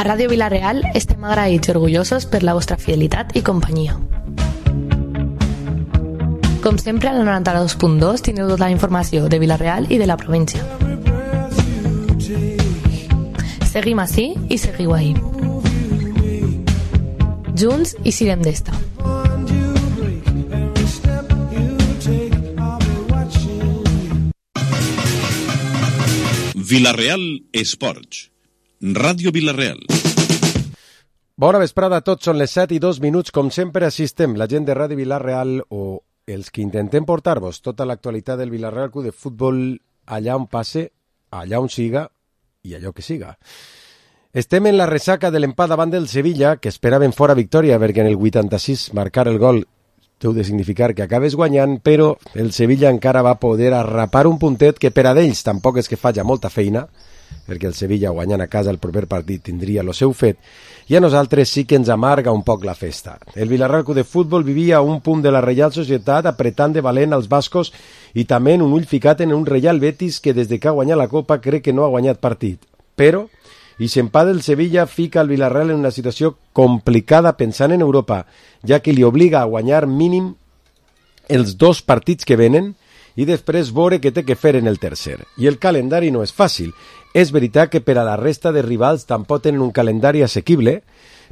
A Ràdio Vila-real estem agraïts i orgullosos per la vostra fidelitat i companyia. Com sempre, al 92.2 teniu tota la informació de Vila-real i de la província. Seguim ací i seguiu ahí. Junts i sirem d'esta. Vila-real Esports. Ràdio Vila-real. Bona vesprada a tots, són les 7:02, com sempre assistem la gent de Ràdio Vila-real o els que intentem portar-vos tota l'actualitat del Vila-real Club de Futbol allà on passe, allà on siga i allò que siga. Estem en la ressaca de l'empat davant del Sevilla, que esperaven fora victòria perquè en el 86 marcar el gol deu de significar que acabes guanyant, però el Sevilla encara va poder arrapar un puntet que per a d'ells tampoc és que faci molta feina, perquè el Sevilla guanyant a casa el proper partit tindria el seu fet, i a nosaltres sí que ens amarga un poc la festa. El Vila-real Club de Futbol vivia a un punt de la Reial Societat apretant de valent als bascos i també en un ull ficat en un Real Betis que des de que ha guanyat la Copa crec que no ha guanyat partit. Però, i s'empat del Sevilla fica el Vila-real en una situació complicada pensant en Europa, ja que li obliga a guanyar mínim els 2 partits que venen i després veure què té que fer en el tercer. I el calendari no és fàcil. És veritat que per a la resta de rivals tampoc tenen un calendari assequible,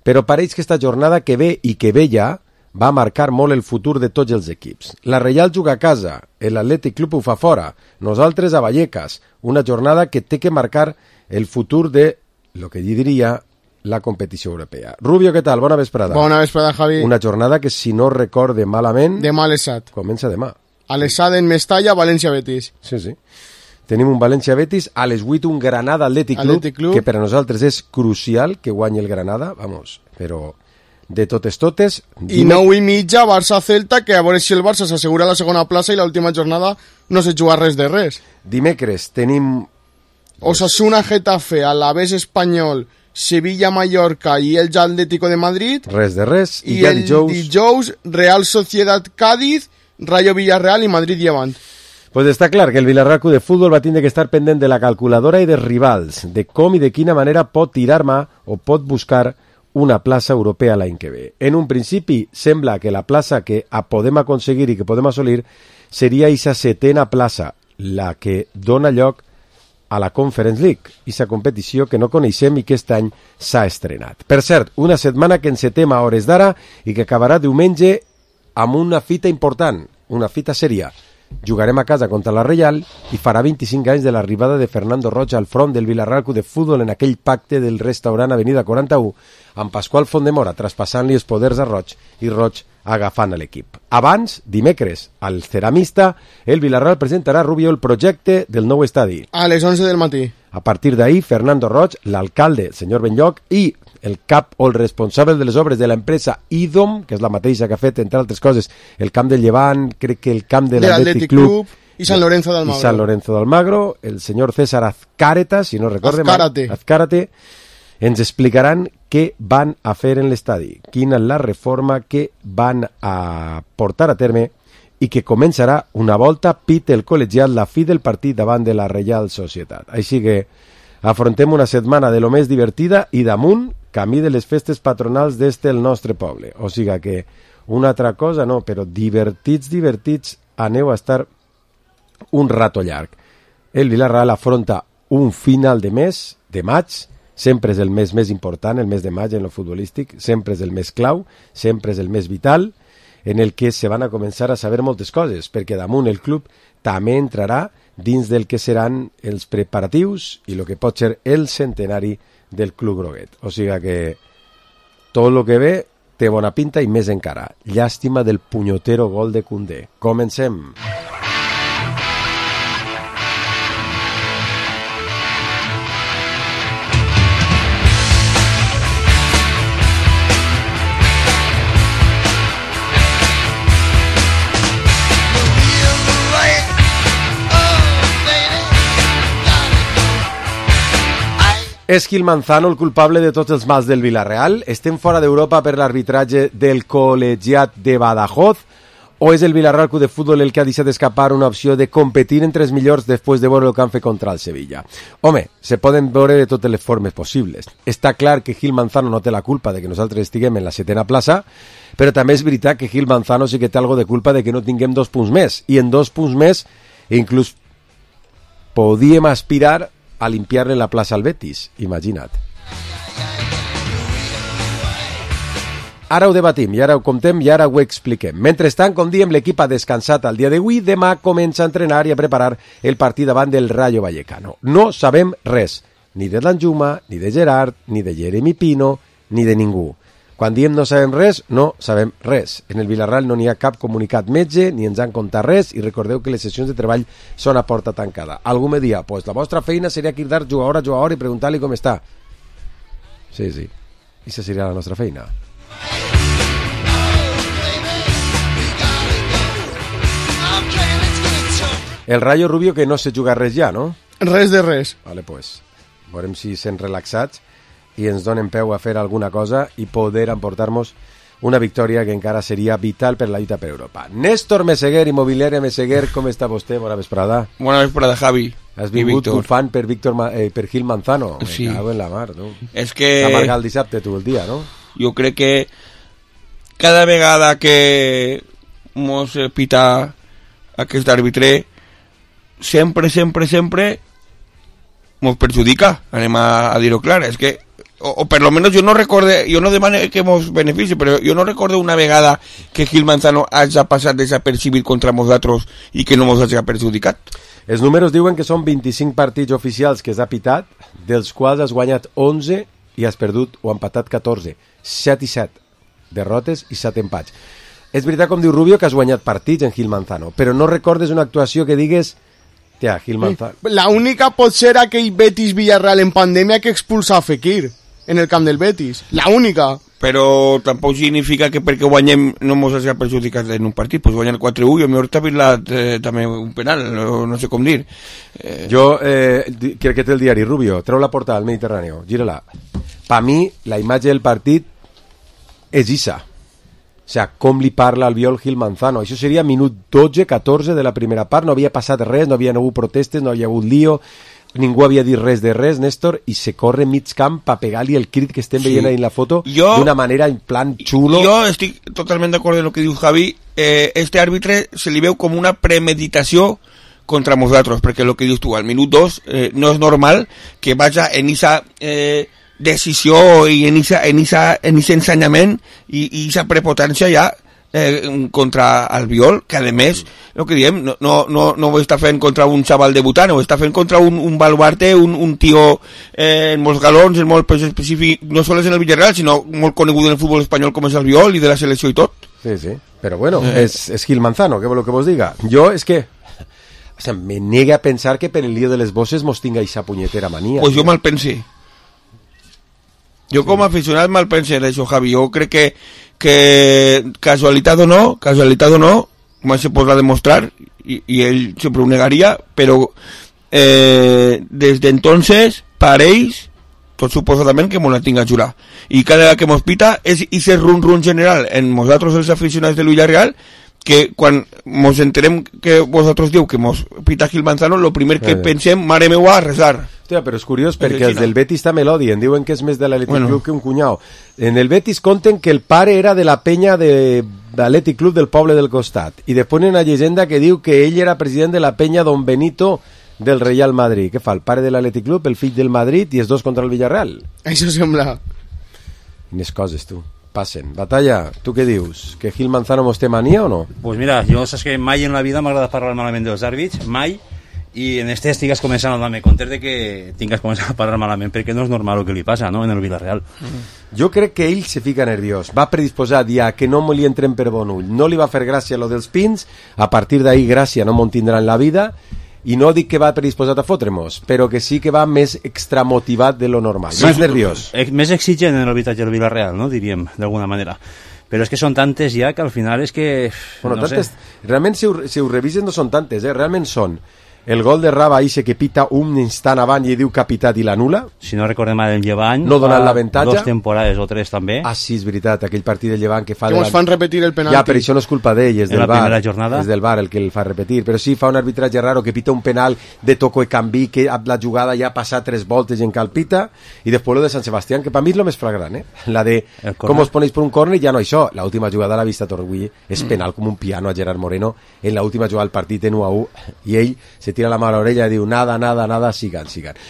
però pareix que esta jornada que ve i que ve ja va marcar molt el futur de tots els equips. La Reial juga a casa, l'Atlètic Club ho fa fora, nosaltres a Vallecas, una jornada que té que marcar el futur de lo que jo diria la competició europea. Rubio, què tal? Bona vesprada. Bona vesprada, Javi. Una jornada que, si no recorde malament... Demà a l'Esat. Comença demà. A l'Esat en Mestalla, València-Betis. Sí, sí. Tenim un València-Betis, a les 8 un Granada-Atlètic Club, que per a nosaltres és crucial que guanyi el Granada, vamos, però de totes... I 9:30, Barça-Celta, que a veure si el Barça s'assegura la segona plaça i l'última jornada no se juga res de res. Dimecres tenim... Osasuna-Getafe, Alavés Espanyol, Sevilla-Mallorca i el Atlético de Madrid. Res de res. I el dijous, Real Sociedad-Cádiz, Rayo Villarreal i Madrid-Llevant. Pues està clar que el Vila-real Club de Futbol va tindre que estar pendent de la calculadora i dels rivals, de com i de quina manera pot tirar mà o pot buscar una plaça europea l'any que ve. En un principi sembla que la plaça que podem aconseguir i que podem assolir seria aquesta 7ª plaça, la que dona lloc a la Conference League, aquesta competició que no coneixem i que aquest any s'ha estrenat. Per cert, una setmana que encetem a hores d'ara i que acabarà diumenge amb una fita important, una fita sèria. Jugarem a casa contra la Reial i farà 25 anys de l'arribada de Fernando Roig al front del Vila-real Club de Futbol en aquell pacte del restaurant Avenida 41 amb Pasqual Fondemora traspassant-li els poders a Roig i Roig agafant a l'equip. Abans, dimecres, al Ceramista, el Vila-real presentarà a Rubio el projecte del nou estadi. A les 11 del matí. A partir d'ahir, Fernando Roig, l'alcalde, el senyor Benlloc, i el cap o el responsable de les obres de l'empresa IDOM, que és la mateixa que ha fet, entre altres coses, el camp del Llevant, crec que el camp de l'Atlètic Club i Sant Lorenzo d'Almagro. I Sant Lorenzo d'Almagro, el senyor César Azcárate, si no recorde Azcárate, ens explicaran què van a fer en l'estadi, quina és la reforma que van a portar a terme i que començarà una volta pit el col·legiat la fi del partit davant de la Reial Societat. Així que afrontem una setmana de lo més divertida i damunt camí de les festes patronals d'este el nostre poble. O sigui que una altra cosa no, però divertits, aneu a estar un rato llarg. El Vila-real afronta un final de mes, de maig, sempre és el mes més important, el mes de maig en lo futbolístic, sempre és el mes clau, sempre és el mes vital, en el que se van a començar a saber moltes coses, perquè damunt el club també entrarà dins del que seran els preparatius i el que pot ser el centenari del Club Groguet. O sigui que tot el que ve té bona pinta i més encara. Llàstima del punyotero gol de Koundé. Comencem. És Gil Manzano el culpable de tots els mals del Vila-real? Estem fora d'Europa per l'arbitratge del col·legiat de Badajoz? o és el Villarreal Club de Futbol el que ha deixat escapar una opció de competir entre els millors després de veure el que han fet contra el Sevilla? Home, se poden veure de totes les formes possibles. Està clar que Gil Manzano no té la culpa de que nosaltres estiguem en la 7ª plaça, però també és veritat que Gil Manzano sí que té algo de culpa de que no tinguem 2 punts més, i en 2 punts més inclús podíem aspirar a limpiar-le la plaça al Betis, imagina't. Ara ho debatim, i ara ho comptem, i ara ho expliquem. Mentrestant, com diem, l'equip ha descansat el dia d'avui, demà comença a entrenar i a preparar el partit davant del Rayo Vallecano. No sabem res, ni de Danjuma, ni de Gerard, ni de Jeremy Pino, ni de ningú. Quan diem no sabem res, no sabem res. En el Villarreal no n'hi ha cap comunicat metge, ni ens han contat res, i recordeu que les sessions de treball són a porta tancada. Algú me dia, pues la vostra feina seria cridar jugador a jugador i preguntar-li com està. Sí, sí, i això seria la nostra feina. El Rayo Rubio que no se juga res ja, no? Res de res. Vale, pues, veurem si sent relaxats i ens donen peu a fer alguna cosa i poder emportar-nos una victòria que encara seria vital per la lluita per Europa. Néstor Meseguer, Immobiliària Meseguer, com està vostè? Bona vesprada. Bona vesprada, Javi. Has vingut bufant per Gil Manzano. Sí. Me cago en la mar, tu. És que... T'ha marcat el dissabte, tu, el dia, no? Jo crec que cada vegada que mos pita aquest àrbitre sempre mos perjudica, anem a dir-ho clar, és que o per lo menos jo no demano que mos benefici, però jo no recordo una vegada que Gil Manzano hagi passat desapercibit contra nosaltres i que no mos hagi perjudicat. Els números diuen que són 25 partits oficials que has pitat, dels quals has guanyat 11 i has perdut o empatat 14, 7 i 7 derrotes i 7 empats. És veritat, com diu Rubio, que has guanyat partits en Gil Manzano, però no recordes una actuació que digues tia, Gil Manzano. La única pot ser aquell Betis Villarreal en pandèmia que expulsa a Fekir en el camp del Betis, la única. Però tampoc significa que perquè guanyem no mos hagi perjudicat en un partit, pues guanyar 4-1 i a mi t'ha vist també un penal, no sé com dir. Jo crec que té el diari Rubio, treu la portada al Mediterrani, gira-la. Per mi, la imatge del partit és Isa. O sigui, com li parla al viol Gil Manzano. Això seria minut 12-14 de la primera part, no havia passat res, no havia hagut protestes, no havia hagut lío, ningú havia dit res de res, Néstor, i se corre mig camp per pegar-li el crit que estem veient ahí en la foto d'una manera en plan xulo. Jo estic totalment d'acord amb el que diu Javi. Este àrbitre se li veu com una premeditació contra nosaltres, perquè el que dius tu, al minut 2 no és normal que vaja en esa decisió i en ese ensenyament i esa prepotència ja contra el Viol, que a més el que diem, no ho està fent contra un xaval debutant, ho està fent contra un baluarte, un tio en molts galons, en molt específic, no sols en el Villarreal, sinó molt conegut en el futbol espanyol com és el Viol i de la selecció i tot. Sí, sí, però bueno, és Gil Manzano, què vol que vos diga? Jo és que o sea, me nega a pensar que per el lío de les bosses mos tinga esa punyetera mania. Pues jo mal pense. Jo com a aficionat mal pense d'això, Javi. Jo crec que casualitat o no, mai se podrà demostrar, i ell sempre ho negaria, però des d'entonces, per ells, tot suposadament que mos la tinga a jurar. I cada vegada que mos pita és ese run general en nosaltres els aficionats de Villarreal, que quan mos enterem que vosaltres diu que mos pita Gil Manzano, lo primer que pensem, mare meua, a resar. Hòstia, però és curiós perquè els del Betis també l'odien, diuen que és més de l'Atlètic Club que un cunyau. En el Betis conten que el pare era de la penya de l'Atlètic Club del poble del costat, i després una llegenda que diu que ell era president de la penya Don Benito del Real Madrid. Què fa? El pare de l'Atlètic Club, el fill del Madrid i els dos contra el Villarreal? Això sembla. Quines coses, tu. Passen. Batalla, tu què dius? Que Gil Manzano mos té mania o no? Pues mira, jo saps que mai en la vida m'agrada parlar malament dels àrbits, mai, i en este estigues començant a donar-me compte de que tingues començat a parlar malament, perquè no és normal el que li passa, no?, en el Villarreal. Jo crec que ell se fica nerviós, va predisposat ja que no li entren per bon ull, no li va fer gràcia lo dels pins, a partir d'ahí gràcia no me'n tindrà en la vida, i no dic que va predisposat a fotre-mos, però que sí que va més extramotivat de lo normal, sí, més nerviós. Més exigent en l'arbitratge del Villarreal, no?, diríem, d'alguna manera. Però és que són tantes ja que al final és que... Bueno, no tantes, sé. Realment, si ho revisen, no són tantes, realment són El gol de Raba Ise que pita un instant abans i diu capitat i l'anula. Si no recordem mal, el Llevant No donant l'avantatge. 2 temporades o 3 també. Ah, sí, és veritat, aquell partit del Llevant que fa... Que ens fan repetir el penalti. Ja, però això no és culpa d'ell, és En del la VAR. primera jornada. És del VAR el que el fa repetir. Però sí, fa un arbitratge raro que pita un penal de toco i canvi, que la jugada ja ha passat 3 voltes i encara el pita, i després lo de Sant Sebastián, que per mi és el més flagrant, La de com os ponéis per un córner, ja no això. La última jugada l'ha vista Torgui, és penal com un piano a Gerard Moreno en la última jugada del partit en 1-1, i ell se tira la mà a l'orella i diu nada, sigan.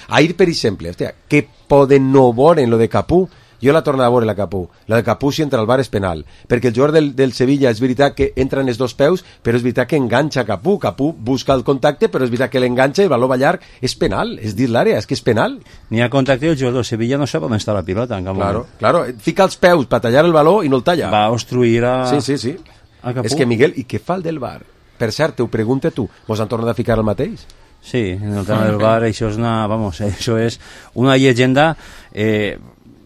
Ahir, per exemple, hòstia, que poden no veure en lo de Capú. Jo la torno a veure, la Capú. La de Capú, si entra al VAR, és penal. Perquè el jugador del Sevilla és veritat que entra en els 2 peus, però és veritat que enganxa Capú. Capú busca el contacte, però és veritat que l'enganxa i el valor va llarg. És penal, és dins l'àrea, és que és penal. N'hi ha contacte i el jugador del Sevilla no sap on està la pilota. En cap moment. Claro. Fica els peus per tallar el valor i no el talla. Va obstruir a... Sí. a Capú. És que, Miguel, i què fa el del VAR? Per cert, te ho pregunta tu. Mos han tornat a ficar el mateix? Sí, en el tema del VAR això és una llegenda.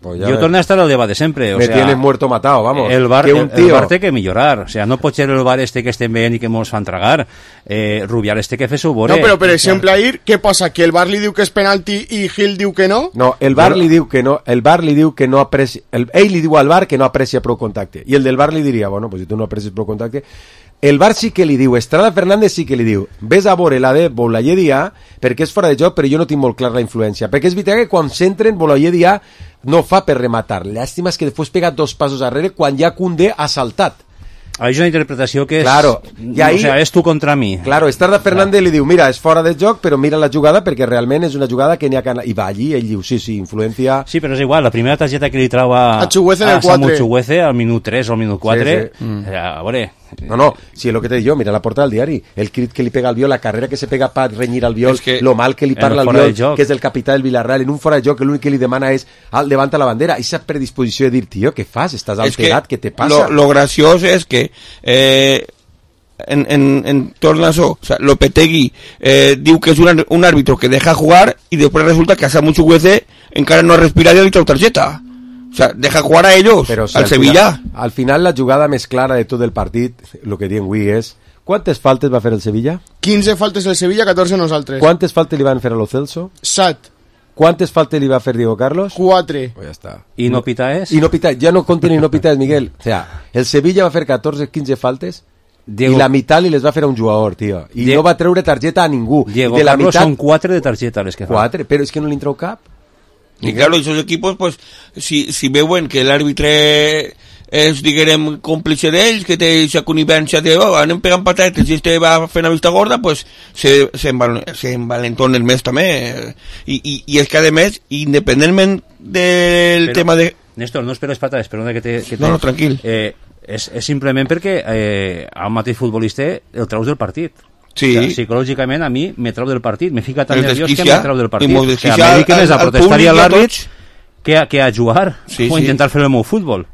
Pues Yo torno a estar al debate siempre. Me tienen muerto matado, vamos. El VAR, que un tío... el VAR té que millorar. O sea, no pot ser el VAR que estem veient i que mos fan tragar. Rubial que fer su vore. No, però per exemple, ahir, què passa? Que el VAR li diu que és penalti i Gil diu que no? No, el VAR li diu que no, aprecia... Ell li diu al VAR que no aprecia prou contacte. I el del VAR li diria, bueno, pues si tu no aprecies prou contacte... El VAR sí que li diu, Estrada Fernández sí que li diu, ves a veure la de Boulaye Dia, perquè és fora de joc, però jo no tinc molt clar la influència. Perquè és veritat que quan s'entren, Boulaye Dia no fa per rematar. Llàstima és que després pega 2 passos darrere quan ja Koundé ha saltat. Hay una interpretació que és... Claro, i ahí, o sea, és tu contra mi. Claro, Estrada Fernández li diu, mira, és fora de joc, però mira la jugada perquè realment és una jugada que n'hi ha que anar... I va allí, ell diu, sí, influència... Sí, però és igual, la primera targeta que li trau a Chuguece en el 4. Samu Chuguece al minut 3 o al minut 4, a veure... No, si és el que te dic jo, mira la portada del diari, el crit que li pega al Viol, la carrera que se pega per renyir al Viol, lo mal que li parla al Viol, que és el capità del Villarreal, en un fora de joc, l'únic que li demana és levanta la bandera, i esa predisposició de dir, tio, què fas? Estàs alterat, què te passa? Lo graciós és que en torno a eso, o sea, Lopetegui diu que és un árbitro que deja jugar y después resulta que a Samu Chuguece encara no ha respirat i li trau targeta. O sea, deja jugar a ellos, pero, si al Sevilla. Al final la jugada més clara de tot el partit, el que diuen avui és, quantes faltes va fer el Sevilla? 15 faltes el Sevilla, 14 nosaltres. Quantes faltes li van fer a lo Celso? 7. Quantes faltes li va fer Diego Carlos? 4. Pues ja està. I no pitaes? I no pitaes, ja no compten i no pitaes, Miguel. O sea, el Sevilla va fer 14-15 faltes Diego... i la meitat li les va fer a un jugador, tio. I no va treure targeta a ningú. Diego de la Carlos meitat... són 4 de targeta les que fa. 4, però és que no li treu cap. Y claro, esos equipos, pues, si veuen que l'àrbitre és, diguem, còmplice d'ells, que té aquesta connivència de, anem pegant patates i este va fent la vista gorda, pues, se envalentonen més també. I és que, a més, independentment del tema de... Néstor, no esperes patates, perdona que te... No, tranquil. És simplement perquè a un mateix futbolista el traus del partit. Sí. O sea, psicològicament a mi me trau del partit, me fica tan nerviós que me trau del partit. O sea, me dedique més a protestar a l'àrbit que a jugar o intentar fer el meu futbol.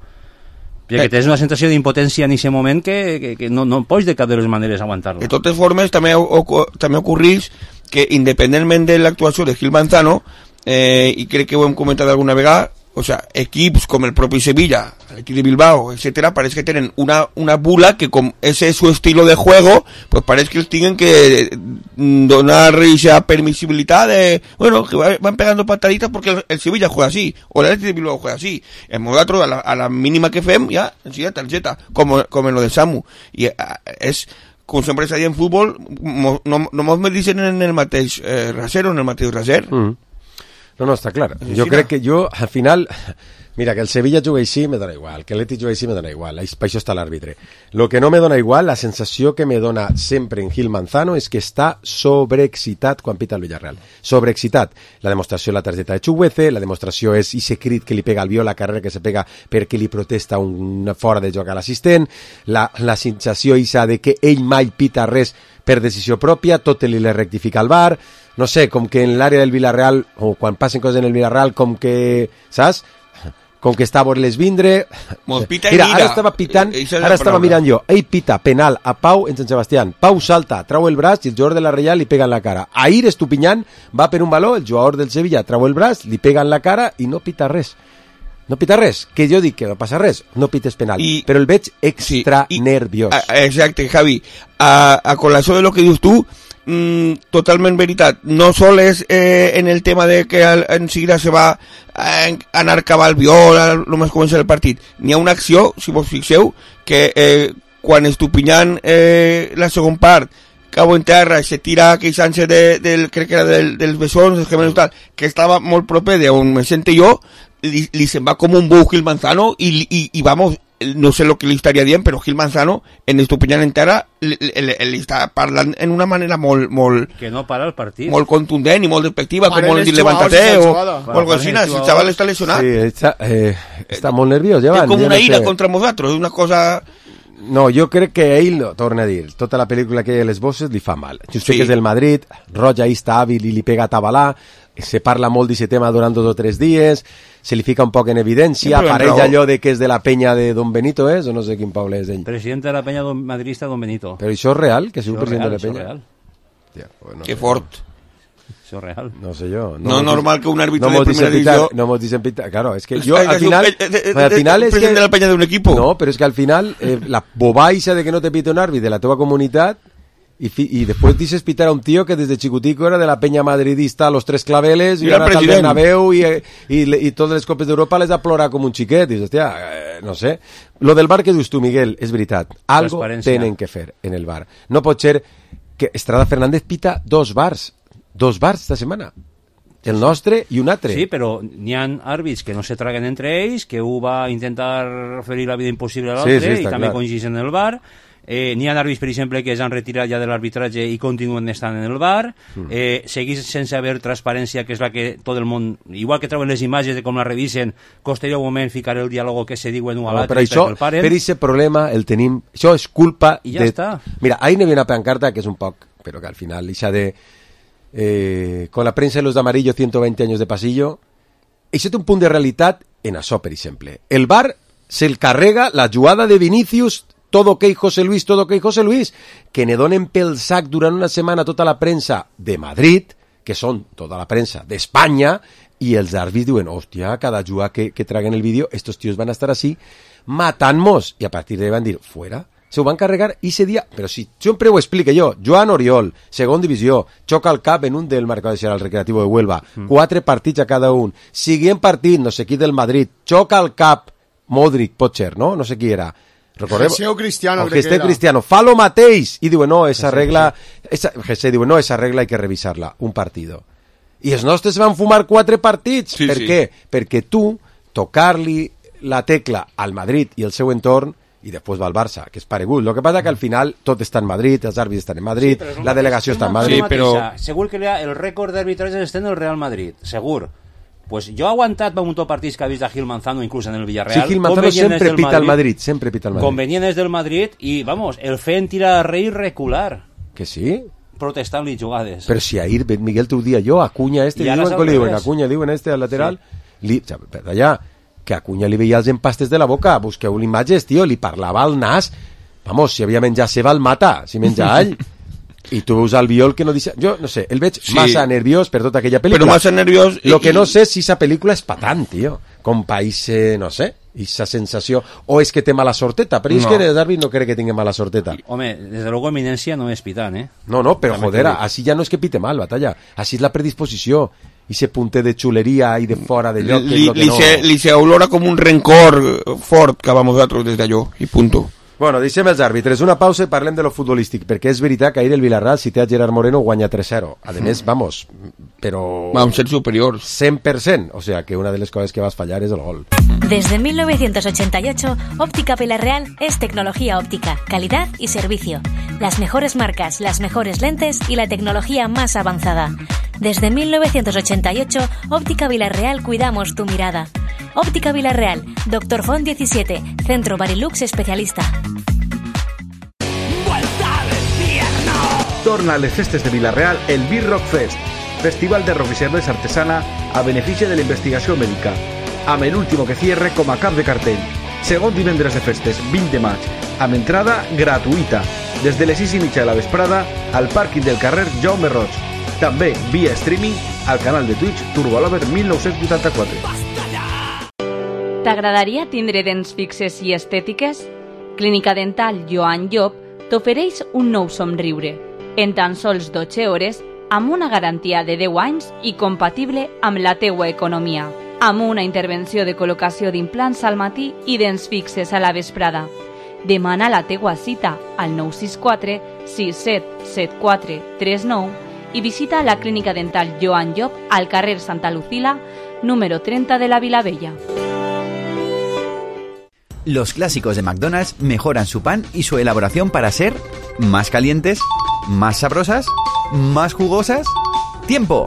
Perquè tens una sensació d'impotència en aquest moment que no pots de cap de les maneres aguantar-lo. De totes formes, també ocorreix que independentment de l'actuació de Gil Manzano, i crec que ho hem comentat alguna vegada, o sea, equips com el propi Sevilla, l'equip de Bilbao, etcétera, parece que tienen una bula que com ese es su estilo de juego, pues parece que els tienen que donar esa permisibilidad de, bueno, que van pegando pataditas porque el Sevilla juega así, o el de Bilbao juega así. En Modatro, a la mínima que fem, ya, enseguida tarjeta, como en lo de Samu. Y es... com sempre s'ha dit en futbol, no mos medicen en el mateix raser o en el mateix raser. No, està clar. Jo crec que al final... Mira, que el Sevilla jugui així me dona igual, que l'Eti jugui així me dona igual, per això està l'àrbitre. Lo que no me dona igual, la sensació que me dona sempre en Gil Manzano és que està sobreexcitat quan pita el Villarreal. Sobreexcitat. La demostració la targeta de Chuguece, la demostració és ese crit que li pega al Viol, la carrera que se pega perquè li protesta un fora de joc a l'assistent, la sensació isa de que ell mai pita res per decisió pròpia, tot li le rectifica al VAR, no sé, com que en l'àrea del Villarreal, o quan passen coses en el Villarreal, com que, saps? Com que està a veure-les vindre... Mira, ara estava mirant jo, ell pita penal a Pau en Sant Sebastián, Pau salta, trau el braç i el jugador de la Reial li pega en la cara. Ahir Estupiñán va per un baló, el jugador del Sevilla trau el braç, li pega en la cara i no pita res. No pita res, que jo dic que no passa res, no pites penal, però el veig extra nerviós. Exacte, Javi, a colació de lo que dius tu, totalment veritat. No sol és en el tema de que en seguida se va anar cap al viol, només comença el partit. N'hi ha una acció, si vos fixeu, que quan Estupiñán la segon part cau en terra, se tira queixant-se crec que era dels bessons, dels gemelos tal, que estava molt proper d'on me sente jo, li se'n va com un bou Gil Manzano i vamos, no sé lo que li estaria dient, però Gil Manzano en Estupiñán en terra li està parlant en una manera molt que no para el partit, molt contundent i molt despectiva, com vol dir levántate o algo així. Si el xaval està lesionat, està molt nerviós, ja té com una ira contra nosaltres, és una cosa. No, jo crec que ell, no, torna a dir, tota la pel·lícula que hi ha a les bosses li fa mal. Just que és del Madrid, Roig ahí està hàbil i li pega a Tabalà, se parla molt d'aquest tema durant 2 o 3 dies, se li fica un poc en evidència, apareix allò de que és de la penya de Don Benito, o no sé quin poble és ell. President de la penya madridista Don Benito. Però això és real, que sigui president de la penya? Això és real. Tia, pues no que sé. fort. Això és real. No sé jo. No normal que un árbitro de primera división. No mos dicen pitar. Claro, es que yo al final es presidente de la peña de un equipo. No, pero es que al final la bobaixa de que no te pite un árbitro de la teva comunitat y después dices pitar a un tío que desde chicutico era de la peña madridista a los 3 claveles y ahora al Bernabéu y todas les copes d'Europa les ha plorat com un xiquet. Dius, hòstia, no sé. Lo del bar que dius tu, Miguel, és veritat. Algo tenen que fer en el bar. No pot ser que Estrada Fernández pita 2 bars esta setmana, el nostre i un altre. Sí, però n'hi ha àrbits que no se traguen entre ells, que un va intentar fer la vida impossible a l'altre, i també coincideixen en el bar. N'hi ha àrbits, per exemple, que s'han retirat ja de l'arbitratge i continuen estant en el bar. Seguís sense haver transparència, que és la que tot el món, igual que treuen les imatges de com la revisen, costaria un moment ficar el diàleg que se diuen un a l'altre, però això, per aquest problema el tenim, això és culpa i ja està. Mira, ahí n'hi havia una pancarta que és un poc, però que al final ixa de con la prensa de los de amarillo 120 años de pasillo, això té un punt de realitat en això, per exemple. El bar se'l carrega la jugada de Vinicius, todo ok José Luis, que ne donen pel sac durant una setmana tota la premsa de Madrid, que són tota la premsa d'Espanya, i els àrbits diuen, hòstia, cada jugada que traguen el vídeo, estos tíos van a estar así, matant-nos, i a partir de van dir, fuera. Se ho van carregar i ese dia, però si sempre ho explique jo, Joan Oriol, segon divisió, xoca el cap en un del marcador al Recreativo de Huelva, 4 partits a cada un, siguient partit, no sé qui del Madrid, xoca el cap, Modric, Potcher, no? No sé qui era. Geseo Cristiano, Cristiano, fa lo mateix, i diuen, no, esa regla, Gesé diuen, no, esa regla hay que revisarla, un partido. I els nostres van fumar 4 partits, per què? Perquè tu, tocar-li la tecla al Madrid i el seu entorn, i després va al Barça, que és paregut. Lo que passa que al final tot està en Madrid, els àrbits estan en Madrid, la delegació està en Madrid. Sí, però segur que el rècord d'arbitratges està en el Real Madrid, segur. Pues jo he aguantat un munt de partits que ha vist a Gil Manzano inclús en el Villarreal. Sí, Gil Manzano sempre pita al Madrid, sempre pita al Madrid. Convenient des del Madrid i, vamos, el feien tirar a rei recular. Que sí? Protestant-li jugades. Però si ahir, Miguel, t'ho dia jo, Acuña Acuña diuen al lateral, allà, que Acuña li veia els empastes de la boca, busqueu imatges, tio, li parlava al nas, vamos, si havia menjat ceba el mata, si menja all, i tu veus el viol que no deixa, jo no sé, el veig massa nerviós per tota aquella pel·lícula, però massa nerviós, lo que no sé si esa pel·lícula és patant, tio, com país, no sé, esa sensació, o és que té mala sorteta, però és que el Darby no crec que tingui mala sorteta. Home, desde luego eminencia no és pitant, No, però joder, així ja no és que pite mal, batalla, així és la predisposició, i ese punter de xuleria i de fora de lloc, que és lo que no... Li se olora com un rencor fort cap a nosaltres des d'allò, i punto. Bueno, deixem els àrbitres. Una pausa i parlem de lo futbolístic, perquè és veritat que ahir el Villarreal, si té a Gerard Moreno, guanya 3-0. A més, vamos, però... Vamos a ser superiors. 100%. O sea, que una de les coses que vas fallar és el gol. Desde 1988, Óptica Villarreal es tecnología óptica, calidad y servicio. Las mejores marcas, las mejores lentes y la tecnología más avanzada. Desde 1988, Óptica Villarreal cuidamos tu mirada. Óptica Villarreal, Dr. Font 17, Centro Barilux especialista. Torna a les festes de Vilareal el B-Rock Fest, festival de rock i cervesa artesana a benefici de la investigació mèdica, amb l'último que cierre com a cap de cartell. Segon divendres de festes, 20 de maig, amb entrada gratuïta, des de les 6:30 de la vesprada al pàrquing del carrer Jaume Roig. També via streaming al canal de Twitch Turbolover 1984. T'agradaria tindre dents fixes i estètiques? Clínica Dental Joan Llop t'ofereix un nou somriure. en tan sols 12 hores, amb una garantia de 10 anys i compatible amb la teua economia, amb una intervenció de col·locació d'implants al matí i dents fixes a la vesprada. Demana la teua cita al 964 6774 39 i visita la clínica dental Joan Llop al carrer Santa Lucila, número 30 de la Vilavella. Los clásicos de McDonald's mejoran su pan y su elaboración para ser más calientes, más sabrosas, más jugosas. ¡Tiempo!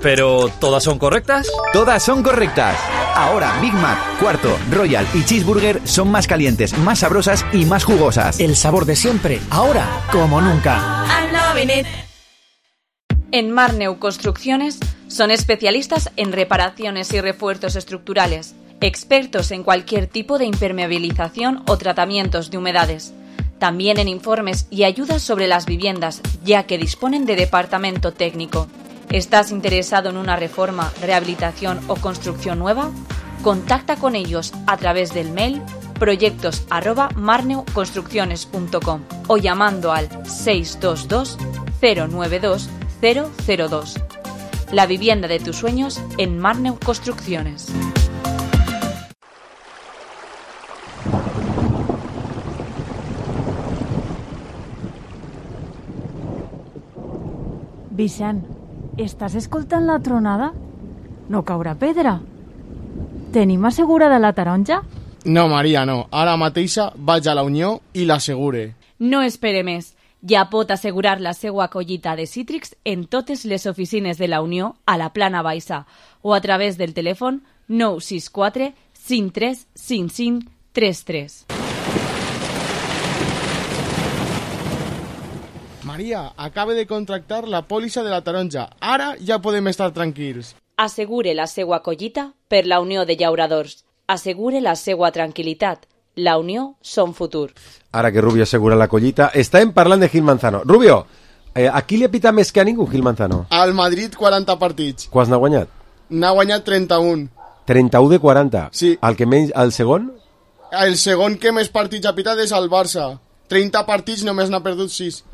¿Pero todas son correctas? Todas son correctas. Ahora Big Mac, Cuarto, Royal y Cheeseburger son más calientes, más sabrosas y más jugosas. El sabor de siempre, ahora como nunca. I'm loving it. En Marneu Construcciones son especialistas en reparaciones y refuerzos estructurales, expertos en cualquier tipo de impermeabilización o tratamientos de humedades. También en informes y ayudas sobre las viviendas, ya que disponen de departamento técnico. ¿Estás interesado en una reforma, rehabilitación o construcción nueva? Contacta con ellos a través del mail proyectos@marneuconstrucciones.com o llamando al 622 092 002. La vivienda de tus sueños en Marneu Construcciones. Vicent, estàs escoltant la tronada? No caurà pedra? Tenim assegurada la taronja? No, Maria, no. Ara mateixa vaig a la Unió i l'assegure. No espere més. Ja pot assegurar la seva collita de cítrics en totes les oficines de la Unió a la Plana Baixa o a través del telèfon 964 53 55 33. Maria, acaba de contractar la pòlissa de la taronja. Ara ja podem estar tranquils. Assegure la seva collita per la Unió de Llauradors. Assegure la seva tranquil·litat. La Unió són futur. Ara que Rubio assegura la collita, estàvem parlant de Gil Manzano. Rubio, a qui li ha pitat més que a ningú, Gil Manzano? Al Madrid 40 partits. Quants n'ha guanyat? N'ha guanyat 31. 31 de 40? Sí. El que menys, el segon? El segon que més partits ha pitat és el Barça. 30 partits només n'ha perdut 6.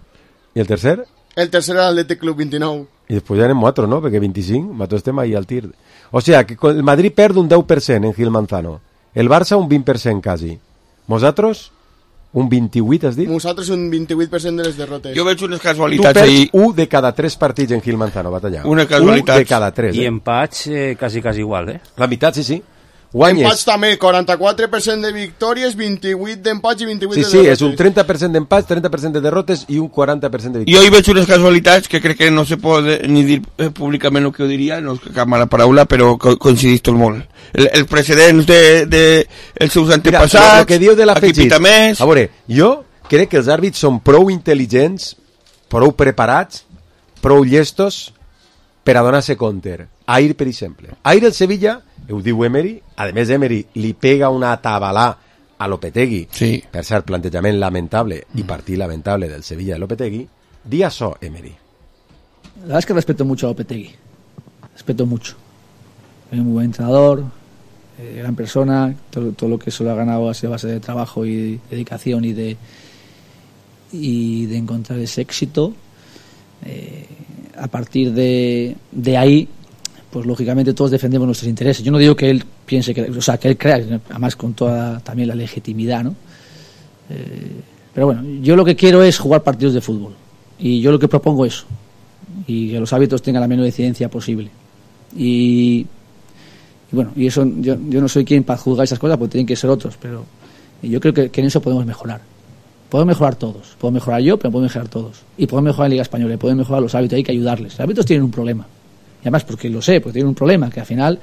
I el tercer? El tercer era l'Athletic Club, 29. I després ja anem 4, no? Perquè 25, nosaltres estem ahí al tir. O sea, que el Madrid perd un 10% en Gil Manzano. El Barça un 20% quasi. Vosaltres, un 28, has dit? Nosaltres un 28% de les derrotes. Jo veig unes casualitats ahí. Tu perds 1 de cada 3 partits en Gil Manzano, batallar. Una casualitat. 1 de cada 3. I empats quasi igual, eh? La meitat, sí. Guanyes. Empats també, 44% de victòries, 28 d'empats i 28 de derrotes. Sí, és un 30% d'empats, 30% de derrotes i un 40% de victòries. Jo hi veig unes casualitats que crec que no se pot ni dir públicament el que ho diria, no és cap mala paraula, però coincidís tot molt. El precedent dels seus antepassats, el que diu de l'afegit. A veure, jo crec que els àrbits són prou intel·ligents, prou preparats, prou llestos per a donar-se compte. Ahir, per exemple. Ahir el Sevilla, ho diu Emery, a més Emery li pega una tabalà a Lopetegui, sí. Per cert, plantejament lamentable y partit lamentable del Sevilla de Lopetegui, di això, Emery. La verdad es que respeto mucho a Lopetegui, respeto mucho. Es un muy buen entrenador, gran persona, todo lo que se lo ha ganado ha sido a base de trabajo y dedicación y de encontrar ese éxito. A partir de ahí, pues lógicamente todos defendemos nuestros intereses. Yo no digo que él piense que, o sea, que él crea, además con toda también la legitimidad, ¿no? Pero bueno, yo lo que quiero es jugar partidos de fútbol y yo lo que propongo es eso, y que los árbitros tengan la menor incidencia posible. Y bueno, y eso yo no soy quien para juzgar esas cosas, porque tienen que ser otros, pero yo creo que en eso podemos mejorar. Podemos mejorar todos. Puedo mejorar yo, pero podemos mejorar todos. Y podemos mejorar en Liga Española, y podemos mejorar los árbitros, hay que ayudarles. Los árbitros tienen un problema. Y además, porque lo sé, porque tienen un problema, que al final,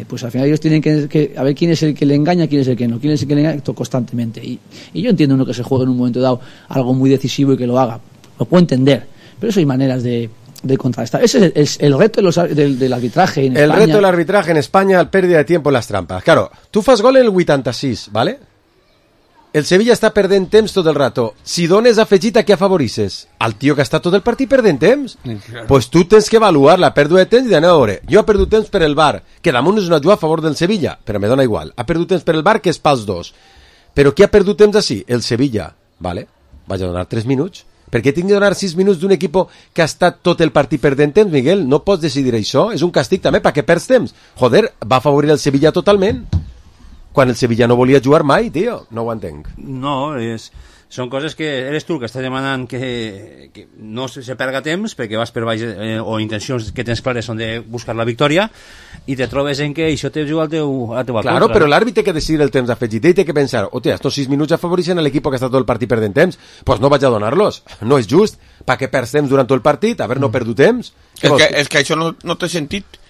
pues al final ellos tienen que a ver quién es el que le engaña, quién es el que no, quién es el que le engaña constantemente. Y yo entiendo uno que se juegue en un momento dado algo muy decisivo y que lo haga. Lo puedo entender. Pero eso hay maneras de contrastar. Ese es el reto del arbitraje en España. El reto del arbitraje en España, la pérdida de tiempo en las trampas. Claro, tú fas gol en el 86, ¿vale? El Sevilla està perdent temps tot el rato. Si dones afegit, a què afavorisses? Al tio que està tot el partit perdent temps? Pues tu tens que avaluar la pèrdua de temps i d'anar a veure. Jo he perdut temps per el VAR, que damunt és una jugada a favor del Sevilla, però me dona igual. Ha perdut temps per el VAR, que és pels dos. Però qui ha perdut temps així? El Sevilla. Vale, vaig a donar 3 minuts. Per què tinc de donar 6 minuts d'un equip que ha estat tot el partit perdent temps, Miguel? No pots decidir això, és un càstig també, perquè perds temps. Joder, va afavorir el Sevilla totalment, quan el Sevilla no volia jugar mai, tio. No ho entenc. No, són coses que eres tu que estàs demanant que no se perga temps perquè vas per baix o intencions que tens clares són de buscar la victòria i te trobes en que això te juga a la teva Claro, contra. però l'àrbitre té que decidir el temps afegit i té que pensar, hòstia, estos 6 minuts afavoreixen l'equip que està tot el partit perdent temps, pues no vaig a donar-los, no és just, perquè perds temps durant tot el partit, haver no perdut temps. És que això no té sentit.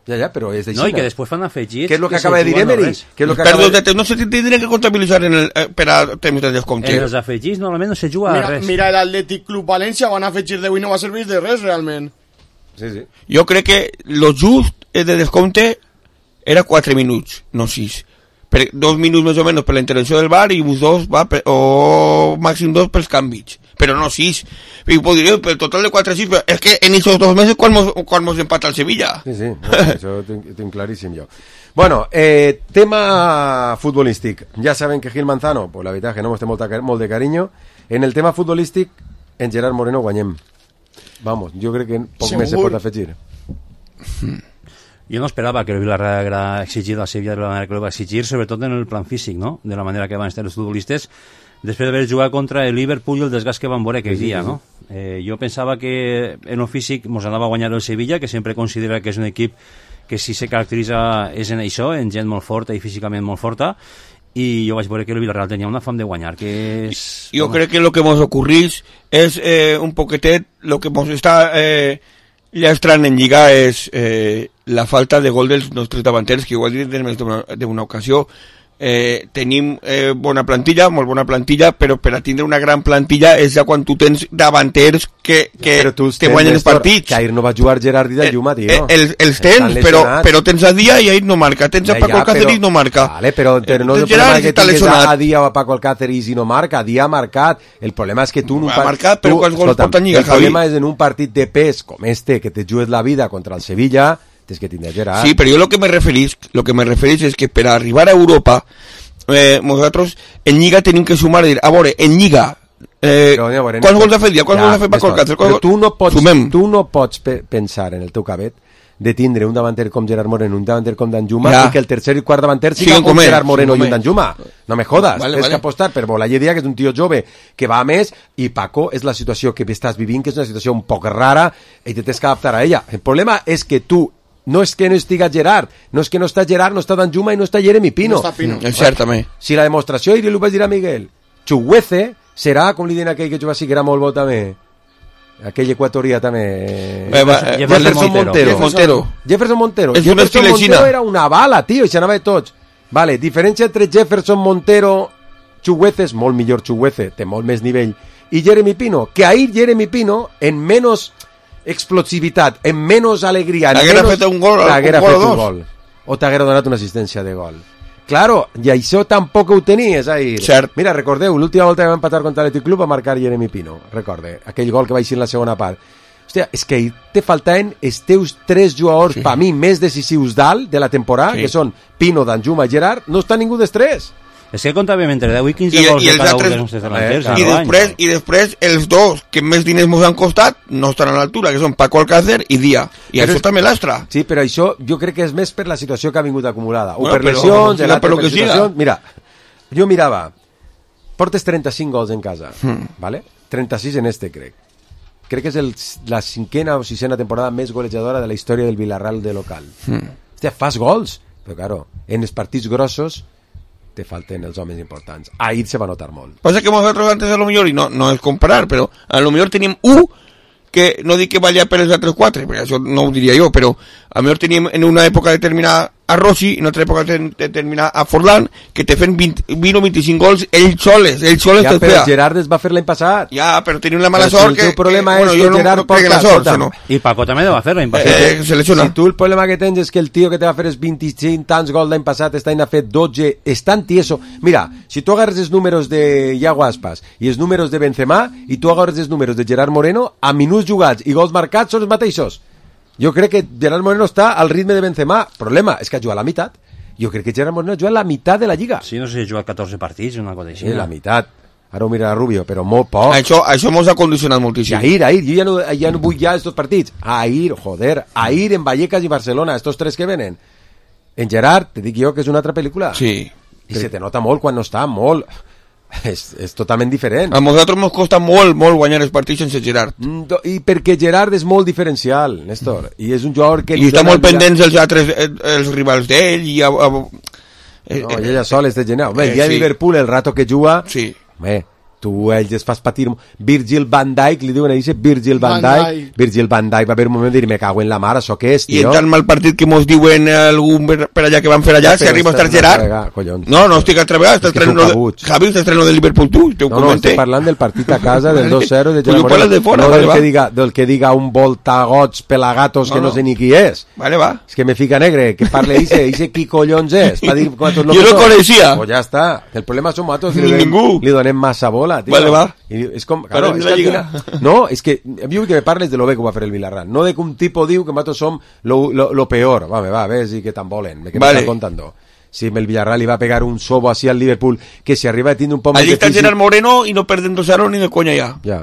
Ja, però és d'així. No, i que després fan afegits... Què és el que acaba de dir Emery? No se tindria que comptabilitzar per a temps de descompte. En els afegits normalment no se juga a res. Mira l'Atlètic Club València, van afegir 10 i no va servir de res, realment. Sí. Jo crec que lo just de descompte era 4 minuts, no 6. 2 minuts més o menys per la intervenció del VAR i uns 2 o màxim 2 pels canvis, però no 6. I podria dir, pel total de 4 6, però és que en aquests 2 mesos quan mos empata el Sevilla. Sí, no, això ho tinc claríssim jo. Bueno, tema futbolístic. Ja saben que Gil Manzano, pues la veritat que no mos té molt de carinyo. En el tema futbolístic, en Gerard Moreno guanyem. Vamos, jo crec que poc més se pot afegir. Jo no esperava que el Villarreal haguera exigit a Sevilla de la manera que lo va exigir, sobretot en el plan físic, no? De la manera que van estar els futbolistes després d'haver jugat contra el Liverpool i el desgast que van veure aquell dia, no? Jo pensava que en el físic mos anava a guanyar el Sevilla, que sempre considera que és un equip que si se caracteritza és en això, en gent molt forta i físicament molt forta, i jo vaig veure que el Villarreal tenia una fam de guanyar, que és... Jo crec que lo que mos ocorrís és un poquetet, lo que mos està llastrant en Lliga és la falta de gol dels nostres davanters, que ho he dit en més d'una ocasió. Tenim bona plantilla, molt bona plantilla, però per a tindre una gran plantilla és ja quan tu tens davanters que te guanyen els partits. Que ahir no va jugar Gerard i de Lluma, tio. Els tens, però tens a Dia i ahir no marca, tens a Paco Alcácer i no marca. Vale, però no és el problema que tingues a Dia o a Paco Alcácer i no marca. Dia ha marcat. El problema és que tu... Ha marcat, però quants gols pot tenir, Javi? El problema és en un partit de pes com este, que te jugues la vida contra el Sevilla... tens que tindre Gerard. Sí, però jo lo que me referís és que per arribar a Europa nosaltres en Lliga tenim que sumar, a veure, en Lliga quants gols ha fet Dia? Quants gols ha fet Paco Alcácer? Però tu no pots pensar en el teu cabet de tindre un davanter com Gerard Moreno, un davanter com Danjuma, i que el tercer i quart davanter siga com Gerard Moreno i un Danjuma. No me jodas, tens que apostar per Bolaye Dia, que és un tio jove que va a més, i Paco és la situació que estàs vivint, que és una situació un poc rara, i te tens que adaptar a ella. El problema és que tu no és que no estiga Gerard, no és que no està Gerard, no està Danjuma i no està Jeremy Pino. No està Pino. Certament. Si la demostració, i li ho vaig dir a Miguel, Chuguece serà, com li diuen aquell que juga sí que era molt bo també, aquell equatorià també, Jefferson Montero. Jefferson Montero era una bala, tio, i s'anava de tots. Vale, diferència entre Jefferson Montero, Chuguece, és molt millor Chuguece, té molt més nivell, i Jeremy Pino, que ahir Jeremy Pino, en menys explosivitat, en menys alegria, t'haguera fet un gol o dos, o t'haguera donat una assistència de gol. Claro, i això tampoc ho tenies ahir. Cert. Mira, recordeu, l'última volta que vam empatar contra l'Atlètic Club va marcar Jeremy Pino, recorde, aquell gol que va eixir en la segona part. Hòstia, és que te faltaven els teus 3 jugadors, per mi, més decisius dalt de la temporada, que són Pino, Danjuma i Gerard, no està ningú dels 3. És que comptàvem entre 10 i 15 gols de cada un dels nostres delanters. I després els dos que més diners ens han costat no estan a l'altura, que són Paco Alcácer i Dia. I això també lastra. Sí, però això jo crec que és més per la situació que ha vingut acumulada. O per lesions, per situacions... Mira, jo mirava, portes 35 gols en casa, ¿vale? 36 en este, crec. Crec que és la 5ª o 6ª temporada més golejadora de la història del Villarreal de local. Hòstia, fas gols, però claro, en els partits grossos te falten els homes importants. Ahir se va notar molt. Passa que nosaltres antes a lo millor, i no és comparar, però a lo millor tenim que no dic que vaya per els altres 4, perquè això no ho diria jo, però a lo millor tenim en una època determinada a Rossi, en otra època determinada a Forlán, que te fen 20 o 25 gols ells soles ja, però Gerard es va fer l'any passat. Ja, però tenim la mala sort que... El problema és que Gerard porta la sort, no? I Paco també va fer l'any passat. Si tu el problema que tens és que el tio que te va fer els 25 tants gols l'any passat està ha fet 12, és tan tieso. Mira, si tu agarres els números de Iago Aspas i els números de Benzema i tu agarres els números de Gerard Moreno, a minuts jugats i gols marcats són els mateixos. Jo crec que Gerard Moreno està al ritme de Benzema. Problema és que ha jugat la meitat. Jo crec que Gerard Moreno ha jugat la meitat de la Lliga. Sí, no sé si ha jugat 14 partits o una cosa així. Sí, la meitat. ara ho mirarà Rubio, però molt poc. Això mos ha condicionat moltíssim. I ahir, jo ja no vull ja estos partits. Ahir en Vallecas i Barcelona, estos tres que venen. En Gerard, te dic jo que és una altra pel·lícula. Sí. I se te nota molt quan no està, molt. És totalment diferent. A nosaltres ens costa molt guanyar els partits sense Gerard. I perquè Gerard és molt diferencial, Néstor, i és un jugador que... I està molt pendents els rivals d'ell i... No, ella sol és de genial. Bé, el dia de Liverpool, el rato que juga... Sí. Bé, tu ells es fas patir... Virgil van Dijk, li diuen a Virgil van Dijk va haver un moment de dir, me cago en la mar, això què és, tio? I en tan mal partit que mos diuen algun per allà que van fer allà, si arriba a estar Gerard... No, estic atrevegat, Javi, estàs estreno de Liverpool tu, te ho comenté. No, estic parlant del partit a casa, del 2-0 de Gerard Moreno, del que diga un voltagots pelagatos que no sé ni qui és. Vale, va. És que me fica negre, que parle Ise qui collons és? Jo no coneixia. Pues ja està, el problema som nosaltres, li donem massa bola, tio. Vale, va. És com, claro, és que no, és que jo vull que me parles de lo bé que ho va fer el Villarreal, no de que un tipo diu que nosaltres som lo peor. Va, ves i que tan volen, que me està contando. Si el Villarreal li va pegar un sobo así al Liverpool, que si arriba a tindre un poc allí està Gerard Moreno i no perden 2-0 ni de conya ja. Ja,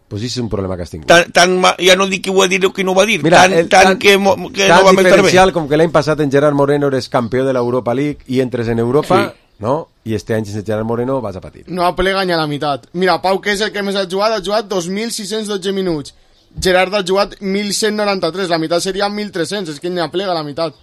pues és un problema que has tingut. Ja no dic que ho va dir o que no ho va dir. Mira, tan que no va estar bé. Diferencial com que l'any passat en Gerard Moreno eres campió de l'Europa League i entres en Europa, no? I este any sense Gerard Moreno vas a patir. No aplega ni a la meitat. Mira, Pau, que és el que més ha jugat 2.612 minuts. Gerard ha jugat 1.193, la meitat seria 1.300, és que ni aplega la meitat.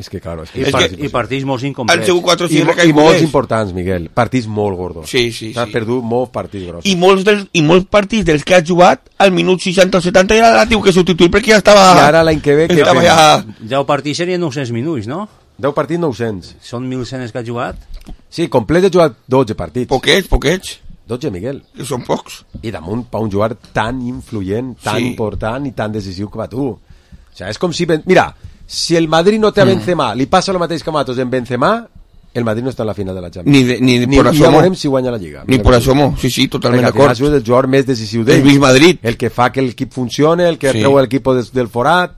És que, claro, i partits molt incomplets. I molts importants, Miguel. Partits molt gordos. Sí. T'has perdut molts partits grossos. I molts partits dels que has jugat al minut 60 o 70 ja la tiu que substituir perquè ja estava... I ara l'any que ve... Ja el partit serien 900 minuts, no? 10 partits, 900. Són 1.100 que has jugat? Sí, complet he jugat 12 partits. Poquets. 12, Miguel. Que són pocs. I damunt, per un jugador tan influent, tan important i tan decisiu com a tu. O sea, és com si... Mira, si el Madrid no té a Benzema, li passa el mateix que a nosaltres en Benzema, el Madrid no està en la final de la Champions. Ni por asomo. Ja veurem si guanya la Lliga. Ni por asomo, sí, totalment d'acord. És el jugador més decisiu d'ell. El mig Madrid. El que fa que l'equip funcione, el que treu l'equip del forat.